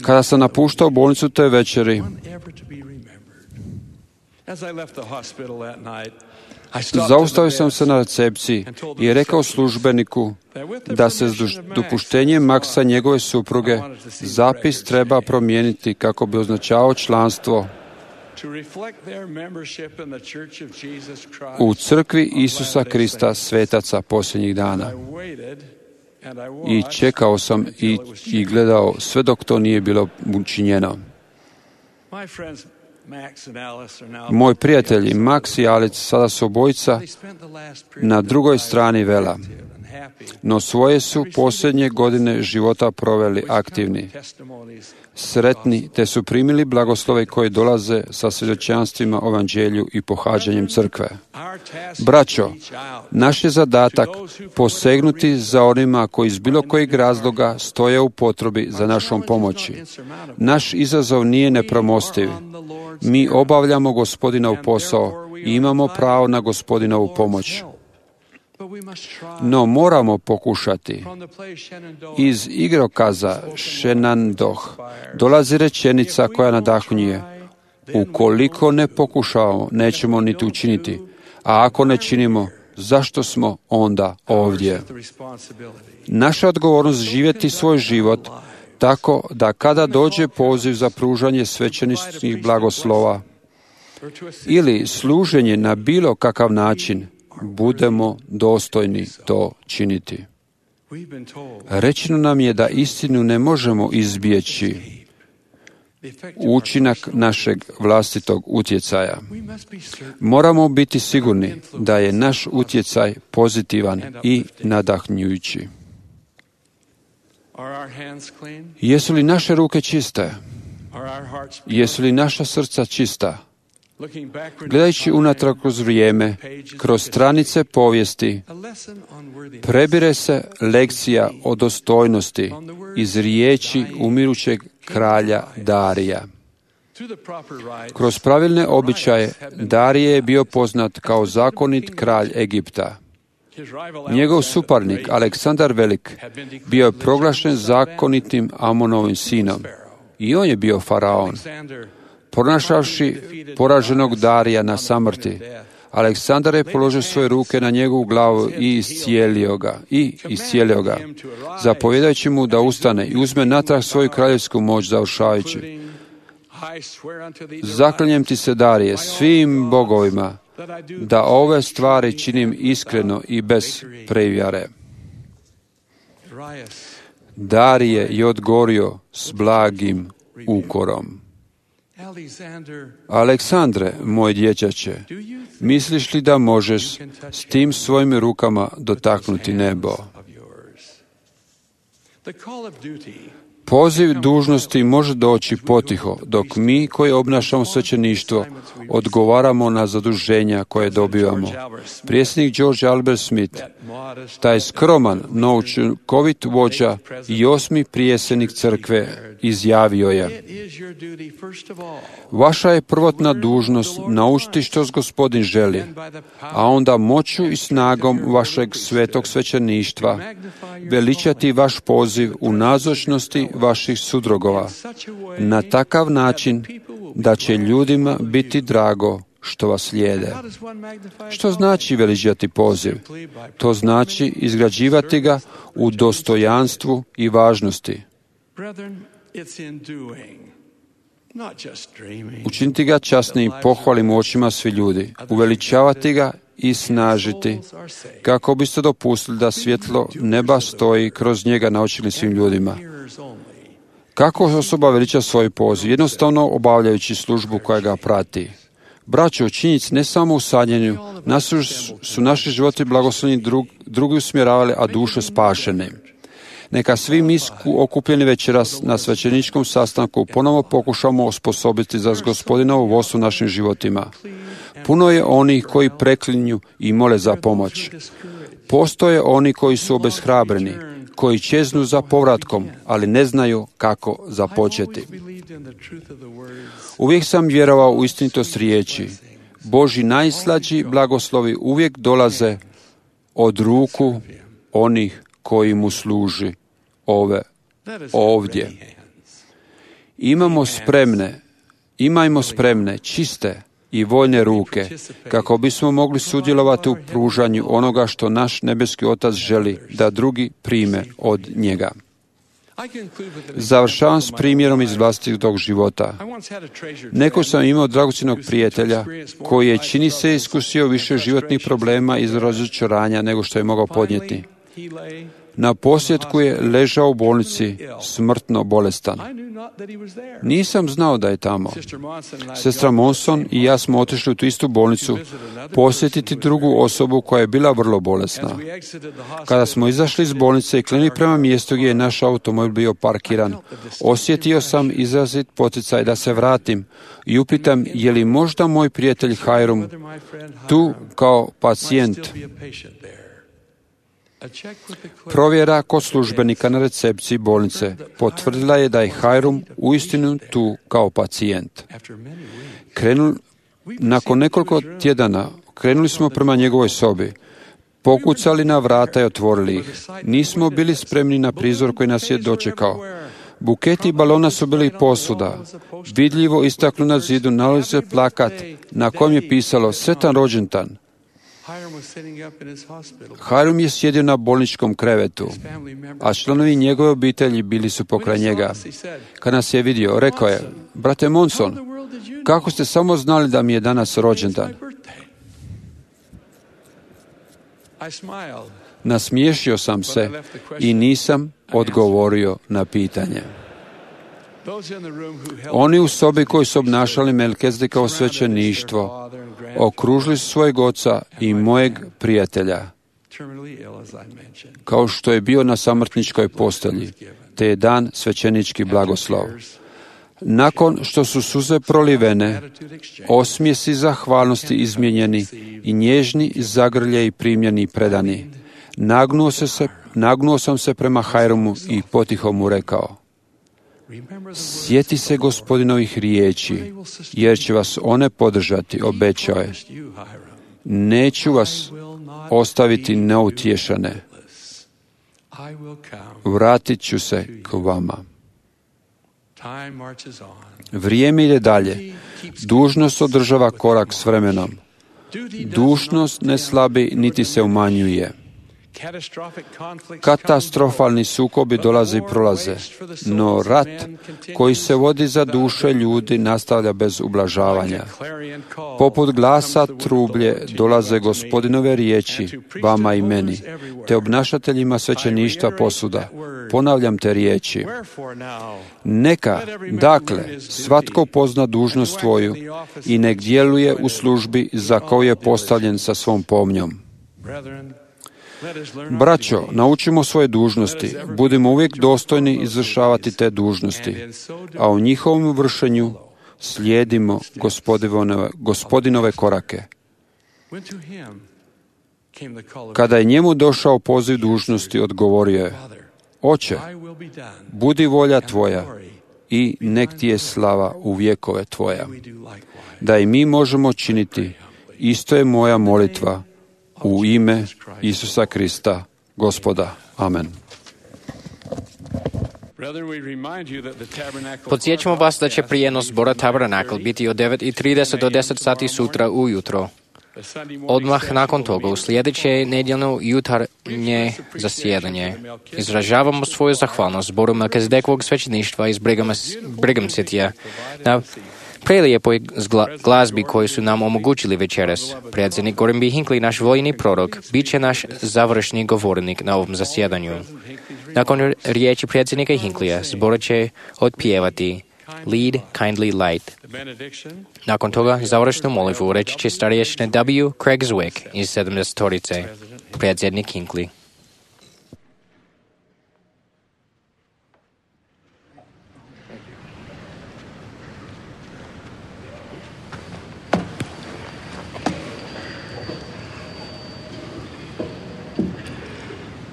Kada sam napuštao bolnicu te večeri, zaustavio sam se na recepciji i rekao službeniku da se s dopuštenjem Maxa njegove supruge zapis treba promijeniti kako bi označavao članstvo u crkvi Isusa Krista svetaca posljednjih dana. I čekao sam i, i gledao sve dok to nije bilo učinjeno. Moji prijatelji Max i Alice sada su obojica na drugoj strani vela, no svoje su posljednje godine života proveli aktivni, sretni, te su primili blagoslove koje dolaze sa svjedočanstvima o evanđelju i pohađanjem crkve. Braćo, naš je zadatak posegnuti za onima koji iz bilo kojeg razloga stoje u potrebi za našom pomoći. Naš izazov nije nepremostiv. Mi obavljamo Gospodinov posao i imamo pravo na Gospodinovu pomoć. No moramo pokušati. Iz igrokaza Shenandoah dolazi rečenica koja nadahnjuje. Ukoliko ne pokušavamo, nećemo niti učiniti. A ako ne činimo, zašto smo onda ovdje? Naša odgovornost živjeti svoj život tako da kada dođe poziv za pružanje svećeničkih blagoslova ili služenje na bilo kakav način, budemo dostojni to činiti. Rečeno nam je da istinu ne možemo izbjeći, učinak našeg vlastitog utjecaja. Moramo biti sigurni da je naš utjecaj pozitivan i nadahnjujući. Jesu li naše ruke čiste? Jesu li naša srca čista? Gledajući unatrag kroz vrijeme, kroz stranice povijesti, prebire se lekcija o dostojnosti iz riječi umirućeg kralja Darija. Kroz pravilne običaje Darije je bio poznat kao zakonit kralj Egipta. Njegov suparnik Aleksandar Velik bio je proglašen zakonitim Amonovim sinom i on je bio faraon. Pronašavši poraženog Darija na samrti, Aleksandar je položio svoje ruke na njegovu glavu i iscijelio ga, i iscijelio ga, zapovjedajući mu da ustane i uzme natrag svoju kraljevsku moć, završavajući: Zaklinjem ti se, Darije, svim bogovima, da ove stvari činim iskreno i bez prevjare. Darije je odgovorio s blagim ukorom: Aleksandre, moj dječače, misliš li da možeš s tim svojim rukama dotaknuti nebo? Poziv dužnosti može doći potiho, dok mi koji obnašamo svećeništvo odgovaramo na zaduženja koje dobivamo. Predsjednik George Albert Smith, taj skroman, no učinkovit vođa i osmi prijesednik crkve, izjavio je: Vaša je prvotna dužnost naučiti što Gospodin želi, a onda moću i snagom vašeg svetog svećeništva veličati vaš poziv u nazočnosti vaših sudrugova na takav način da će ljudima biti drago što vas slijede. Što znači veličati poziv? To znači izgrađivati ga u dostojanstvu i važnosti. Učiniti ga časnim i pohvalim u očima svi ljudi, uveličavati ga i snažiti, kako biste dopustili da svjetlo neba stoji kroz njega na očima svim ljudima. Kako osoba veliča svoj poziv? Jednostavno obavljajući službu koja ga prati. Braćo, činjenici ne samo u sadjenju, nas su naši životi blagoslovni drug, drugi usmjeravali, a duše spašene. Neka svi mi okupljeni večeras na svećeničkom sastanku ponovo pokušamo osposobiti za Gospodinovo vodstvo našim životima. Puno je onih koji preklinju i mole za pomoć. Postoje oni koji su obeshrabreni, koji čeznu za povratkom, ali ne znaju kako započeti. Uvijek sam vjerovao u istinitost riječi. Božji najslađi blagoslovi uvijek dolaze od ruku onih koji mu služi ove ovdje. Imamo spremne, imajmo spremne, čiste i voljne ruke, kako bismo mogli sudjelovati u pružanju onoga što naš nebeski Otac želi da drugi prime od njega. Završavam s primjerom iz vlastitog života. Neko sam imao dragocjenog prijatelja koji je, čini se, iskusio više životnih problema iz razočaranja nego što je mogao podnijeti. Na posljedku je ležao u bolnici, smrtno bolestan. Nisam znao da je tamo. Sestra Monson i ja smo otišli u tu istu bolnicu posjetiti drugu osobu koja je bila vrlo bolesna. Kada smo izašli iz bolnice i krenuli prema mjestu gdje je naš automobil bio parkiran, osjetio sam izrazit poticaj da se vratim i upitam je li možda moj prijatelj Hiram tu kao pacijent. Provjera kod službenika na recepciji bolnice potvrdila je da je Hiram uistinu tu kao pacijent. Krenul, nakon nekoliko tjedana krenuli smo prema njegovoj sobi, pokucali na vrata i otvorili ih. Nismo bili spremni na prizor koji nas je dočekao. Buketi balona su bili posuda. Vidljivo istaknu na zidu nalazi se plakat na kojem je pisalo Sretan rođendan. Hiram je sjedio na bolničkom krevetu, a članovi njegove obitelji bili su pokraj njega. Kad nas je vidio, rekao je: Brate Monson, kako ste samo znali da mi je danas rođendan? Nasmiješio sam se i nisam odgovorio na pitanje. Oni u sobi koji su obnašali Melkizedekov svećeništvo okružili su svojeg oca i mojeg prijatelja, kao što je bio na samrtničkoj postelji, te je dan svećenički blagoslov. Nakon što su suze prolivene, osmijesi zahvalnosti izmijenjeni i nježni zagrljeji primljeni i predani, nagnuo, se se, nagnuo sam se prema Hajrumu i potiho mu rekao: sjeti se Gospodinovih riječi, jer će vas one podržati, obećao je. Neću vas ostaviti neutješane. Vratit ću se k vama. Vrijeme ide dalje. Dužnost održava korak s vremenom. Dužnost ne slabi niti se umanjuje. Katastrofalni sukobi dolaze i prolaze, no rat koji se vodi za duše ljudi nastavlja bez ublažavanja. Poput glasa trublje dolaze Gospodinove riječi vama i meni, te obnašateljima svećeništva posuda. Ponavljam te riječi. Neka, dakle, svatko pozna dužnost svoju i nek djeluje u službi za koju je postavljen sa svom pomnjom. Braćo, naučimo svoje dužnosti, budimo uvijek dostojni izvršavati te dužnosti, a u njihovom vršenju slijedimo Gospodinove, Gospodinove korake. Kada je njemu došao poziv dužnosti, odgovorio je: Oče, budi volja tvoja i nek ti je slava u vjekove tvoja. Da i mi možemo činiti, isto je moja molitva u ime Isusa Krista, Gospoda. Amen. Podsjećamo vas da će prijenos zbora Tabernakl biti od devet i trideset do deset sati sutra ujutro. Odmah nakon toga, u sljedeće nedjeljno jutarnje zasjedanje, izražavamo svoju zahvalnost zboru Melkizedekovog svećeništva iz Brigham Cityja na prelijepoj glazbi koju su nam omogućili večeras. Predsjednik Gordon B. Hinckley, naš vojni prorok, bit će naš završni govornik na ovom zasjedanju. Nakon riječi predsjednika Hinckleyja, zbor će otpjevati Lead, Kindly Light. Nakon toga, završnu molitvu reći će starješine W. Craig Zwick iz sedamdesetorice, predsjednik Hinckley.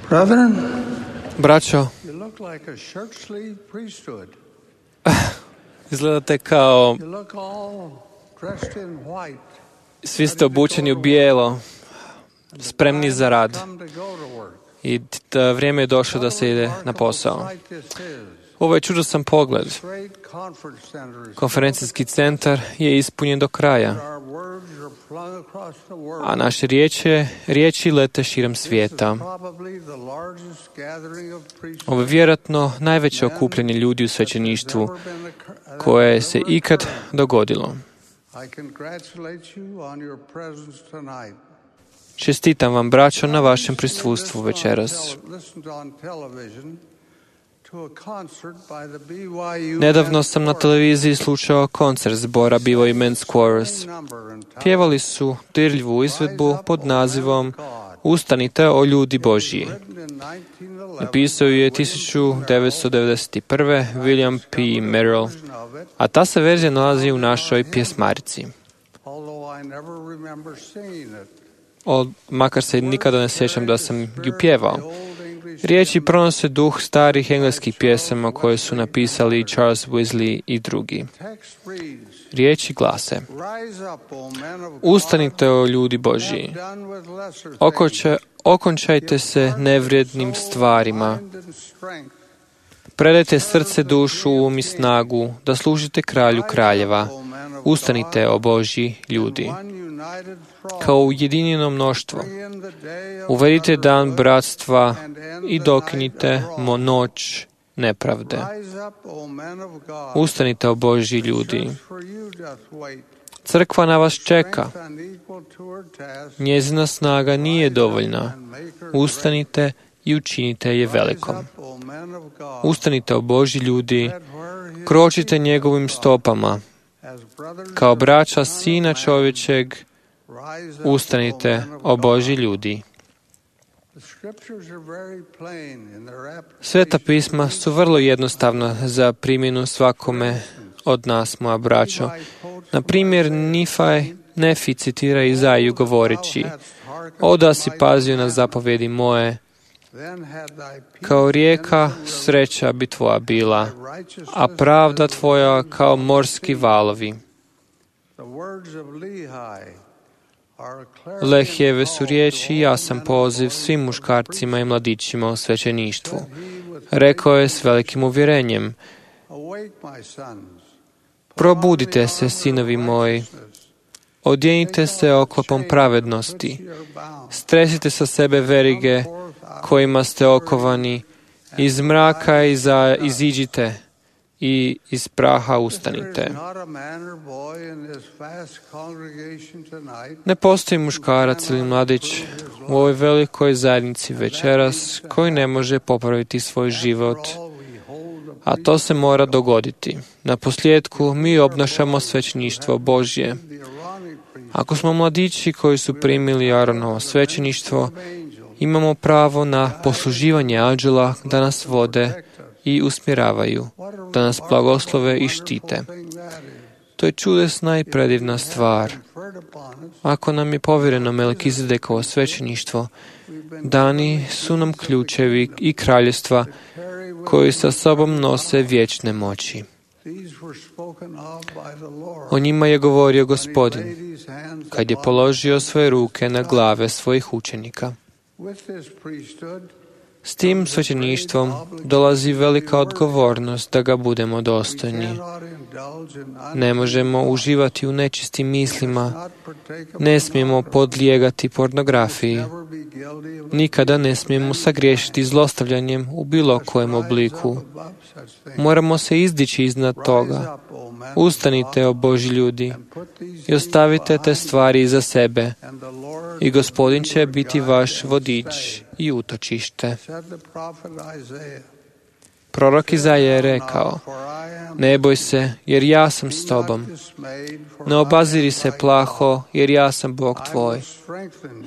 Brethren, braćo, you look like a churchly priesthood. Izgledate kao You look all dressed in white. Svi ste obučeni u bijelo, spremni za rad. I da vrijeme je došlo da se ide na posao. Ovo je čudosan pogled. Konferencijski centar je ispunjen do kraja, a naše riječi, riječi lete širom svijeta. Ovo je vjerojatno najveće okupljanje ljudi u svećeništvu koje se ikad dogodilo. Čestitam vam, braćo, na vašem prisustvu večeras. Nedavno sam na televiziji slušao koncert zbora B Y U Men's Chorus. Pjevali su dirljivu izvedbu pod nazivom Ustanite, o ljudi Božji. Napisao je tisuću devetsto devedeset prve. William P. Merrill, a ta se verzija nalazi u našoj pjesmarici. O, makar se nikada ne sjećam da sam ju pjevao. Riječi pronose duh starih engleskih pjesama koje su napisali Charles Wesley i drugi. Riječi glase: Ustanite, o ljudi Božji, Okoče, okončajte se nevrijednim stvarima, predajte srce, dušu, um i snagu, da služite kralju kraljeva. Ustanite, o Božji ljudi. Kao ujedinjeno mnoštvo, uvedite dan bratstva i dokinite mo noć nepravde. Ustanite, o Božji ljudi. Crkva na vas čeka. Njezina snaga nije dovoljna. Ustanite i učinite je velikom. Ustanite, o Božji ljudi. Kročite njegovim stopama. Kao braća Sina čovječeg, ustanite, o Božji ljudi. Sveta pisma su vrlo jednostavna za primjenu svakome od nas, moja braćo. Na primjer, Nifaj, Nefi citira Izaiju govoreći: O da si pazio na zapovedi moje, kao rijeka sreća bi tvoja bila, a pravda tvoja kao morski valovi. Lehijeve su riječi jasan poziv svim muškarcima i mladićima u svećeništvu. Rekao je s velikim uvjerenjem: Probudite se, sinovi moji, odjenite se oklopom pravednosti, stresite sa sebe verige kojima ste okovani, iz mraka iza, iziđite i iz praha ustanite. Ne postoji muškarac ili mladić u ovoj velikoj zajednici večeras koji ne može popraviti svoj život, a to se mora dogoditi. Na posljedku mi obnašamo svećeništvo Božje. Ako smo mladići koji su primili Aaronovo svećeništvo, imamo pravo na posluživanje anđela da nas vode i usmjeravaju, da nas blagoslove i štite. To je čudesna i predivna stvar. Ako nam je povjereno Melkizedekovo svećeništvo, dani su nam ključevi i kraljevstva koji sa sobom nose vječne moći. O njima je govorio Gospodin kad je položio svoje ruke na glave svojih učenika. S tim svećeništvom dolazi velika odgovornost da ga budemo dostojni. Ne možemo uživati u nečistim mislima, ne smijemo podlijegati pornografiji, nikada ne smijemo sagriješiti zlostavljanjem u bilo kojem obliku. Moramo se izdići iznad toga. Ustanite, o Božji ljudi, i ostavite te stvari iza sebe, i Gospodin će biti vaš vodič i utočište. Prorok Izaija je rekao: Ne boj se, jer ja sam s tobom. Ne obaziri se plaho, jer ja sam Bog tvoj.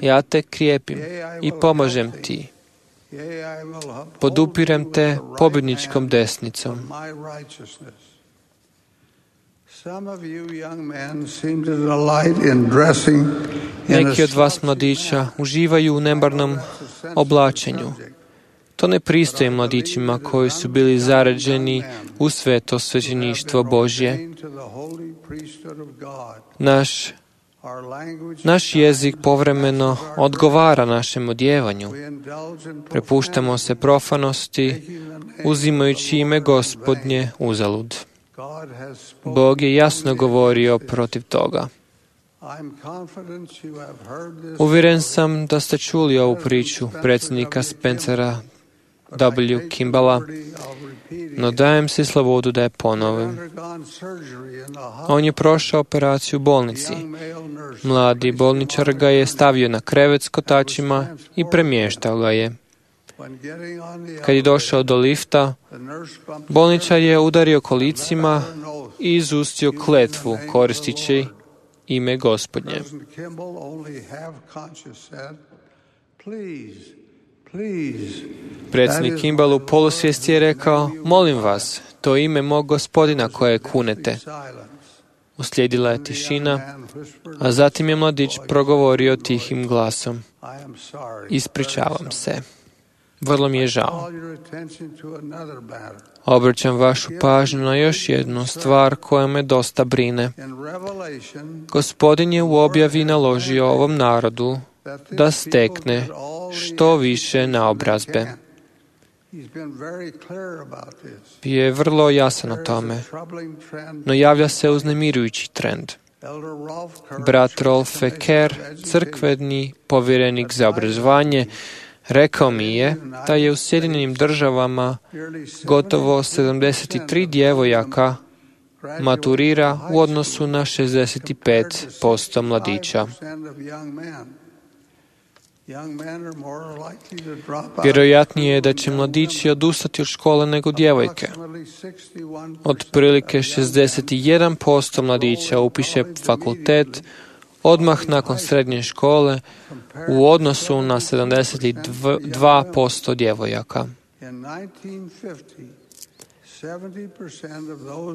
Ja te krijepim i pomažem ti. Podupirem te pobjedničkom desnicom. Neki od vas mladića uživaju u nemarnom oblačenju. To ne pristoji mladićima koji su bili zaređeni u sveto svećeništvo Božje. Naš, naš jezik povremeno odgovara našem odjevanju. Prepuštamo se profanosti, uzimajući ime Gospodnje uzalud. Bog je jasno govorio protiv toga. Uvjeren sam da ste čuli ovu priču predsjednika Spencera W. Kimballa, no dajem si slobodu da je ponovim. On je prošao operaciju u bolnici. Mladi bolničar ga je stavio na krevet s kotačima i premještao ga je. Kad je došao do lifta, bolničar je udario kolicima i izustio kletvu koristići ime Gospodnje. Predsjednik Kimball u polusvijesti je rekao: Molim vas, to ime mog Gospodina koje kunete. Uslijedila je tišina, a zatim je mladić progovorio tihim glasom: Ispričavam se. Vrlo mi je žao. Obraćam vašu pažnju na još jednu stvar koja me dosta brine. Gospodin je u objavi naložio ovom narodu da stekne što više naobrazbe. Bio je vrlo jasan o tome, no javlja se uznemirujući trend. Brat Rolf Kerr, crkveni povjerenik za obrazovanje, rekao mi je da je u Sjedinjenim državama gotovo sedamdeset tri djevojaka maturira u odnosu na šezdeset pet posto mladića. Vjerojatnije je da će mladići odustati od škole nego djevojke. Otprilike šezdeset jedan posto mladića upiše fakultet odmah nakon srednje škole u odnosu na sedamdeset dva posto djevojaka.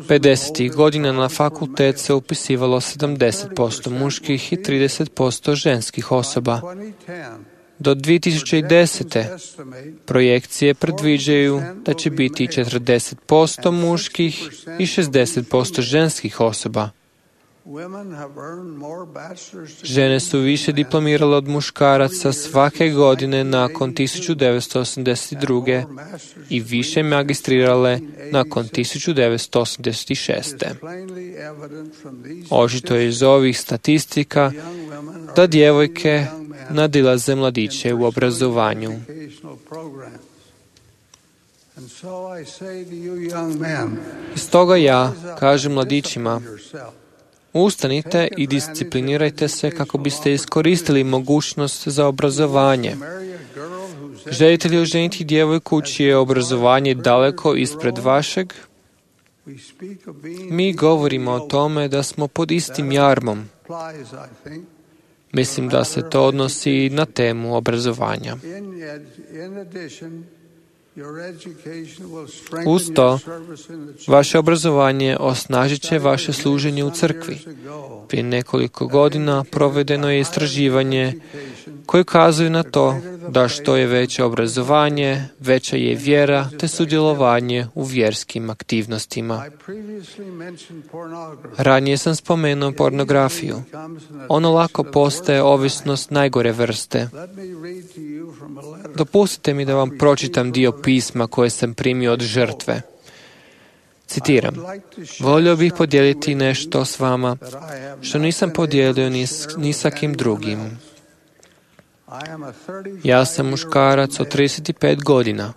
pedesetih godina na fakultet se upisivalo sedamdeset posto muških i trideset posto ženskih osoba. Do dvije tisuće desete. projekcije predviđaju da će biti četrdeset posto muških i šezdeset posto ženskih osoba. Žene su više diplomirale od muškaraca svake godine nakon tisuću devetsto osamdeset druge. i više magistrirale nakon tisuću devetsto osamdeset šeste. Očito je iz ovih statistika da djevojke nadilaze mladiće u obrazovanju. I stoga ja kažem mladićima, ustanite i disciplinirajte se kako biste iskoristili mogućnost za obrazovanje. Želite li oženiti djevojku čije je obrazovanje daleko ispred vašeg? Mi govorimo o tome da smo pod istim jarmom. Mislim da se to odnosi i na temu obrazovanja. Uz to, vaše obrazovanje osnažit će vaše služenje u crkvi. Prije nekoliko godina provedeno je istraživanje koje ukazuje na to da što je veće obrazovanje, veća je vjera te sudjelovanje u vjerskim aktivnostima. Ranije sam spomenuo pornografiju. Ono lako postaje ovisnost najgore vrste. Dopustite mi da vam pročitam dio pisma koje sam primio od žrtve. Citiram, volio bih podijeliti nešto s vama što nisam podijelio ni, s, ni sa kim drugim. Ja sam muškarac od trideset pet godina.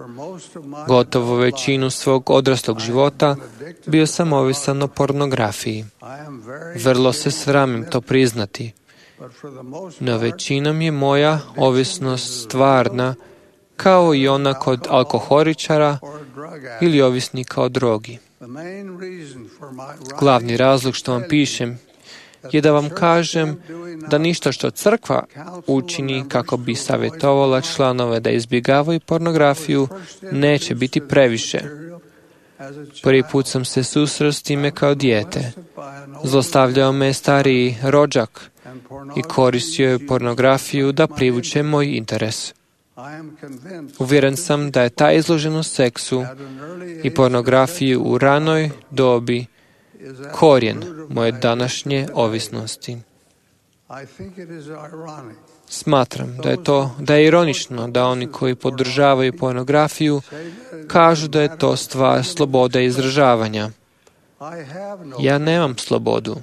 Gotovo većinu svog odraslog života bio sam ovisan o pornografiji. Vrlo se sramim to priznati. No većinom je moja ovisnost stvarna, kao i ona kod alkoholičara ili ovisnika o drogi. Glavni razlog što vam pišem je da vam kažem da ništa što crkva učini kako bi savjetovala članove da izbjegavaju pornografiju neće biti previše. Prvi put sam se susreo s time kao dijete. Zlostavljao me stariji rođak i koristio je pornografiju da privuče moj interes. Uvjeren sam da je ta izloženost seksu i pornografiji u ranoj dobi korijen moje današnje ovisnosti. Smatram da je to da je ironično da oni koji podržavaju pornografiju kažu da je to stvar slobode izražavanja. Ja nemam slobodu.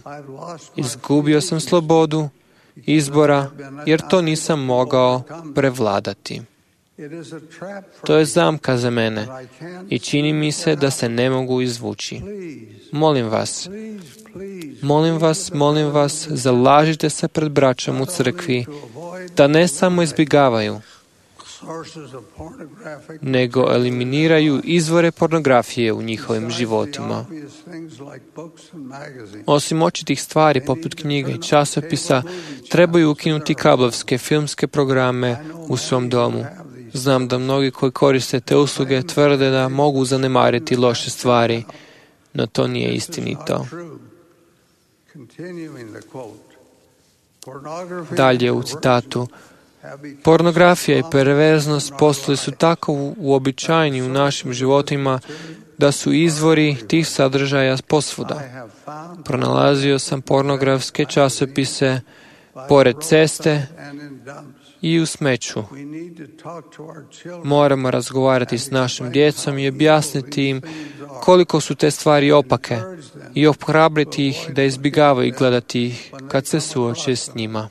Izgubio sam slobodu izbora jer to nisam mogao prevladati. To je zamka za mene i čini mi se da se ne mogu izvući. Molim vas, molim vas, molim vas, zalažite se pred braćom u crkvi da ne samo izbjegavaju, nego eliminiraju izvore pornografije u njihovim životima. Osim očitih stvari poput knjiga i časopisa, trebaju ukinuti kablovske filmske programe u svom domu. Znam da mnogi koji koriste te usluge tvrde da mogu zanemariti loše stvari, no to nije istinito. Dalje u citatu, pornografija i perverznost postali su tako uobičajeni u našim životima da su izvori tih sadržaja posvuda. Pronalazio sam pornografske časopise pored ceste i u smeću. Moramo razgovarati s našim djecom i objasniti im koliko su te stvari opake i ohrabriti ih da izbjegavaju gledati ih kad se suoče s njima.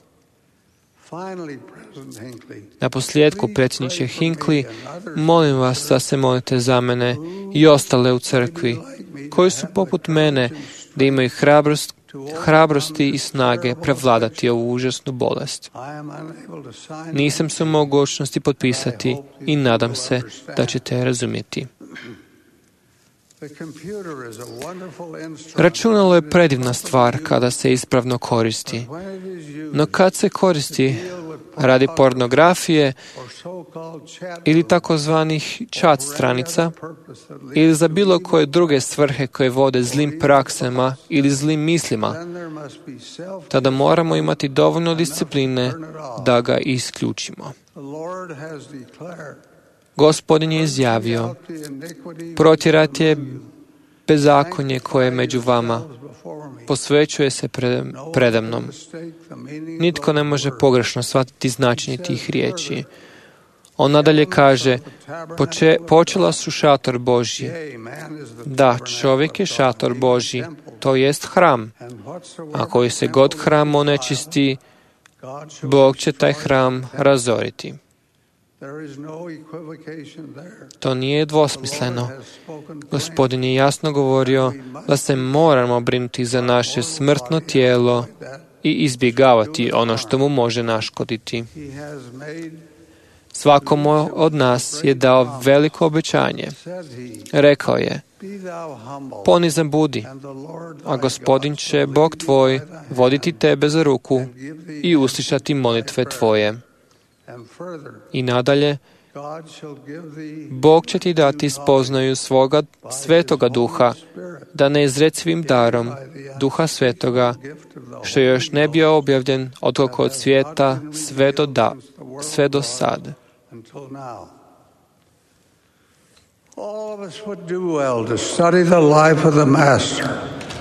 Na posljedku, predsjedniče Hinckley, molim vas da se molite za mene i ostale u crkvi, koji su poput mene da imaju hrabrost, hrabrosti i snage prevladati ovu užasnu bolest. Nisam se u mogućnosti potpisati i nadam se da ćete razumjeti. Računalo je predivna stvar kada se ispravno koristi, no kad se koristi radi pornografije ili takozvanih chat stranica ili za bilo koje druge svrhe koje vode zlim praksama ili zlim mislima, tada moramo imati dovoljno discipline da ga isključimo. Gospodin je izjavio, protjerati je bezakonje koje je među vama, posvećuje se predamnom. Nitko ne može pogrešno shvatiti značenje tih riječi. On nadalje kaže, poče, počela su šator Božji. Da, čovjek je šator Božji, to jest hram. A koji se god hram onečisti, Bog će taj hram razoriti. To nije dvosmisleno. Gospodin je jasno govorio da se moramo brinuti za naše smrtno tijelo i izbjegavati ono što mu može naškoditi. Svakom od nas je dao veliko obećanje. Rekao je, ponizan budi, a Gospodin će, Bog tvoj, voditi tebe za ruku i uslišati molitve tvoje. I nadalje, Bog će ti dati spoznaju svoga svetoga duha, da neizrecivim darom duha svetoga, što još ne bio objavljen od od svijeta sve do, da, sve do sad.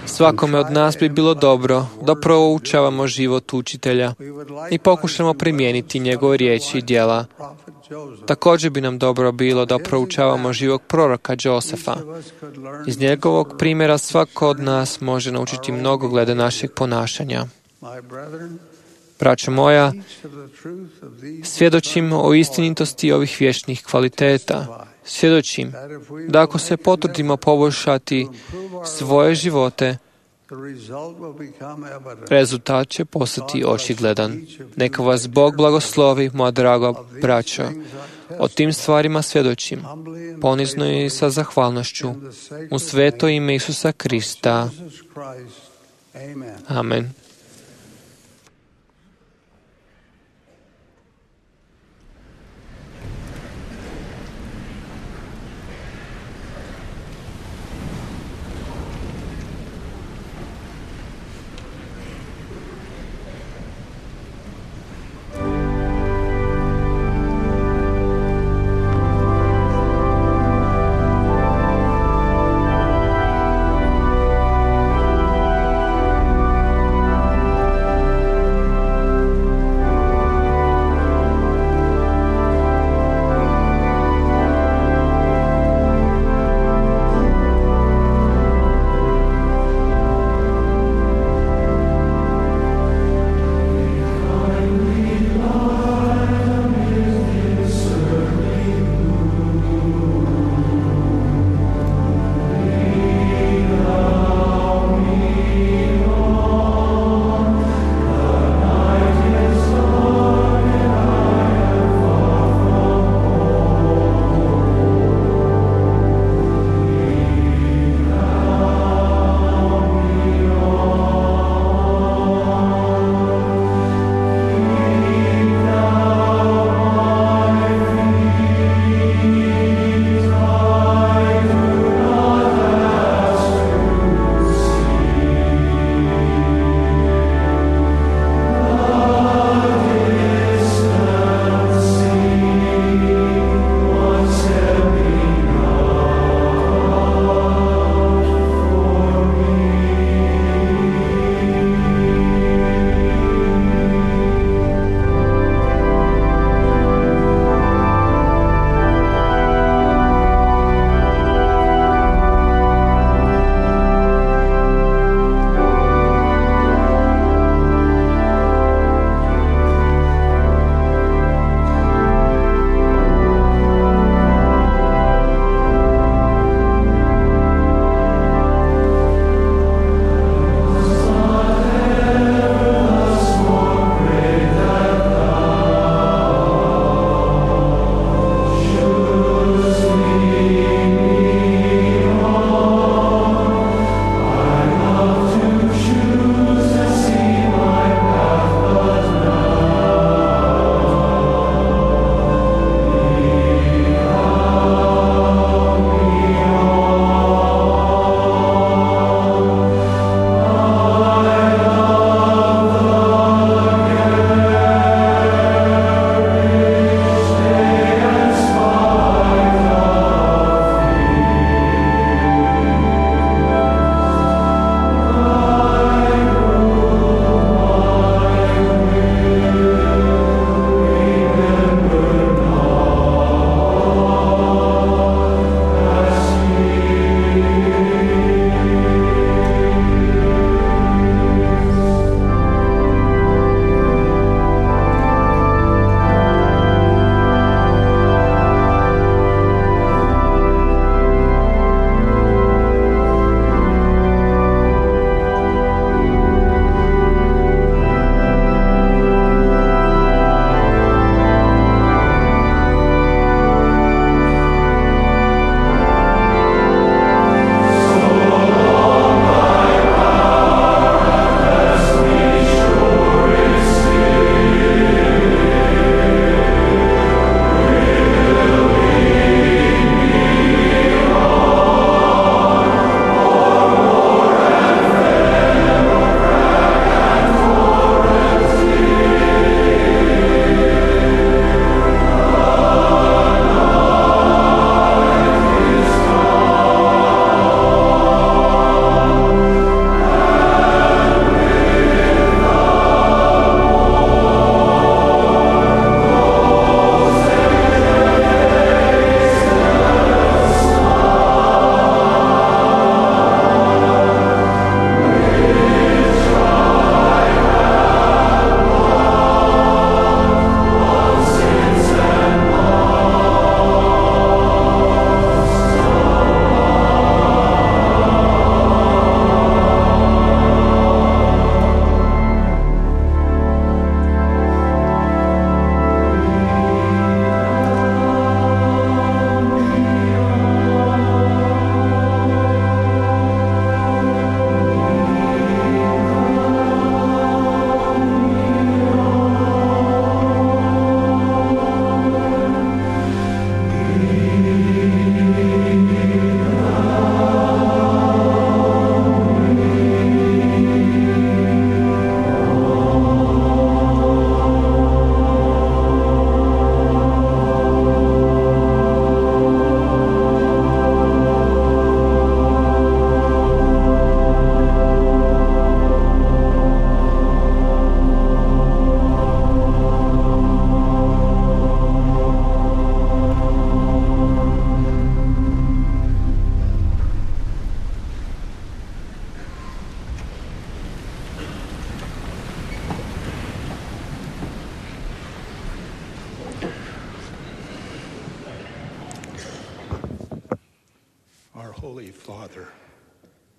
Svakome od nas bi bilo dobro da proučavamo život učitelja i pokušamo primijeniti njegove riječi i djela. Također bi nam dobro bilo da proučavamo život proroka Josefa. Iz njegovog primjera svako od nas može naučiti mnogo glede našeg ponašanja. Braćo moja, svjedočim o istinitosti ovih vječnih kvaliteta. Svjedočim da ako se potrudimo poboljšati svoje živote, rezultat će postati očigledan. Neka vas Bog blagoslovi, moja draga braćo. O tim stvarima svjedočim, ponizno i sa zahvalnošću, u sveto ime Isusa Krista. Amen.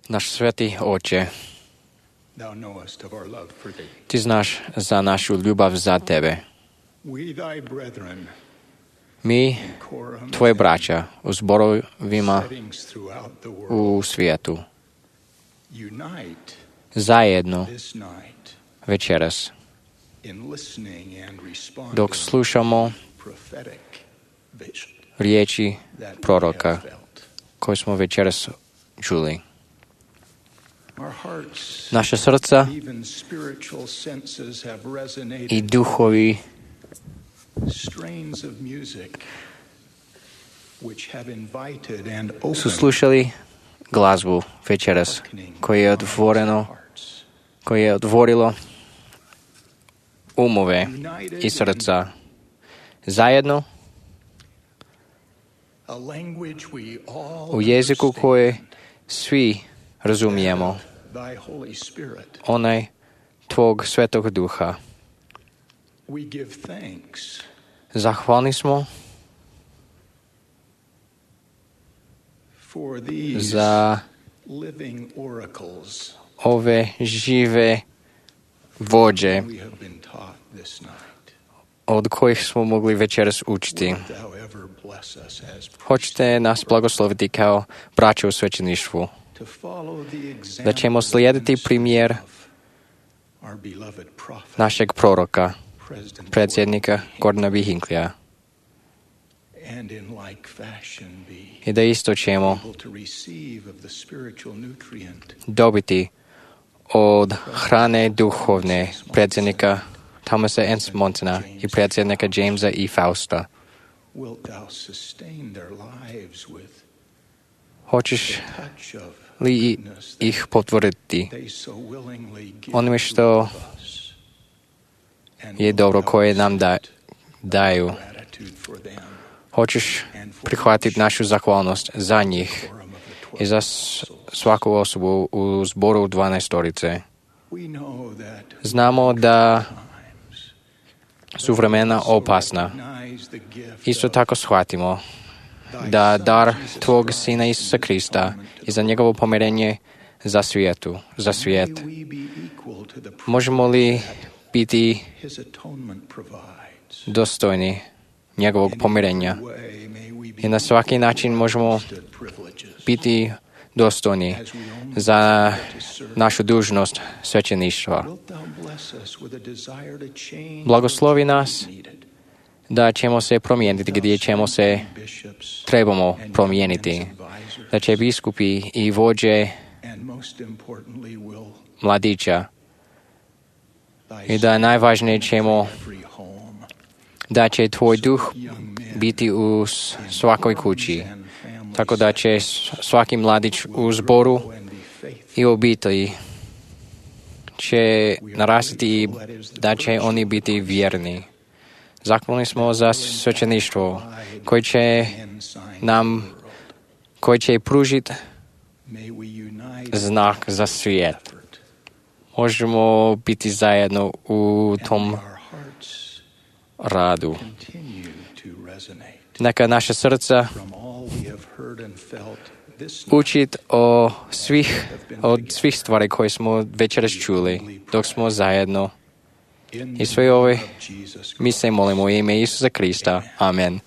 Naš svätý Oče, Ty znáš za našu ľubov za Tebe. My, Tvoje bratia, u zborovima u svijetu, zajedno večeras, dok slušamo riječi proroka koje smo večeras čuli. Naša srca i duhovi su slušali glazbu večeras koje je otvoreno, koje je otvorilo umove i srca zajedno u jeziku koje svi razumijemo, onaj Tvog Svetog Duha. Zahvalni smo za ove žive vođe od kojih smo mogli večeras učiti. Hoćete nas blagosloviti kao braća u svećeništvu, da ćemo slijediti primjer našeg proroka, predsjednika Gordona B. Hinckleyja, i da isto ćemo dobiti od hrane duhovne predsjednika Thomasa S. Monsona i predsjednika Jamesa i Fausta. Hoćeš li ih potvrditi onime što je dobro koje nam da, daju? Hoćeš prihvatiti našu zahvalnost za njih i za svaku osobu u zboru dvanaestorice? Znamo da su vremena opasna. Isto tako shvatimo da dar Tvog Sina Isusa Krista i za njegovo pomirenje za svijetu, za svijet. Možemo li biti dostojni njegovog pomirenja? I na svaki način možemo biti dostojni za našu dužnost svećeništva. Blagoslovi nas da ćemo se promijeniti gdje ćemo se trebamo promijeniti, da će biskupi i vođe mladića i da najvažnije ćemo da će Tvoj duh biti u svakoj kući, tako da će svaki mladić u zboru i obitelji će narastiti i da će oni biti vjerni. Zahvalni smo za svećeništvo koje će nam, koje će pružiti znak za svijet. Možemo biti zajedno u tom radu. Neka naša srca učit o svih, od svih stvari koje smo večeras čuli dok smo zajedno. I sve ove mi se molimo u ime Isusa Krista. Amen.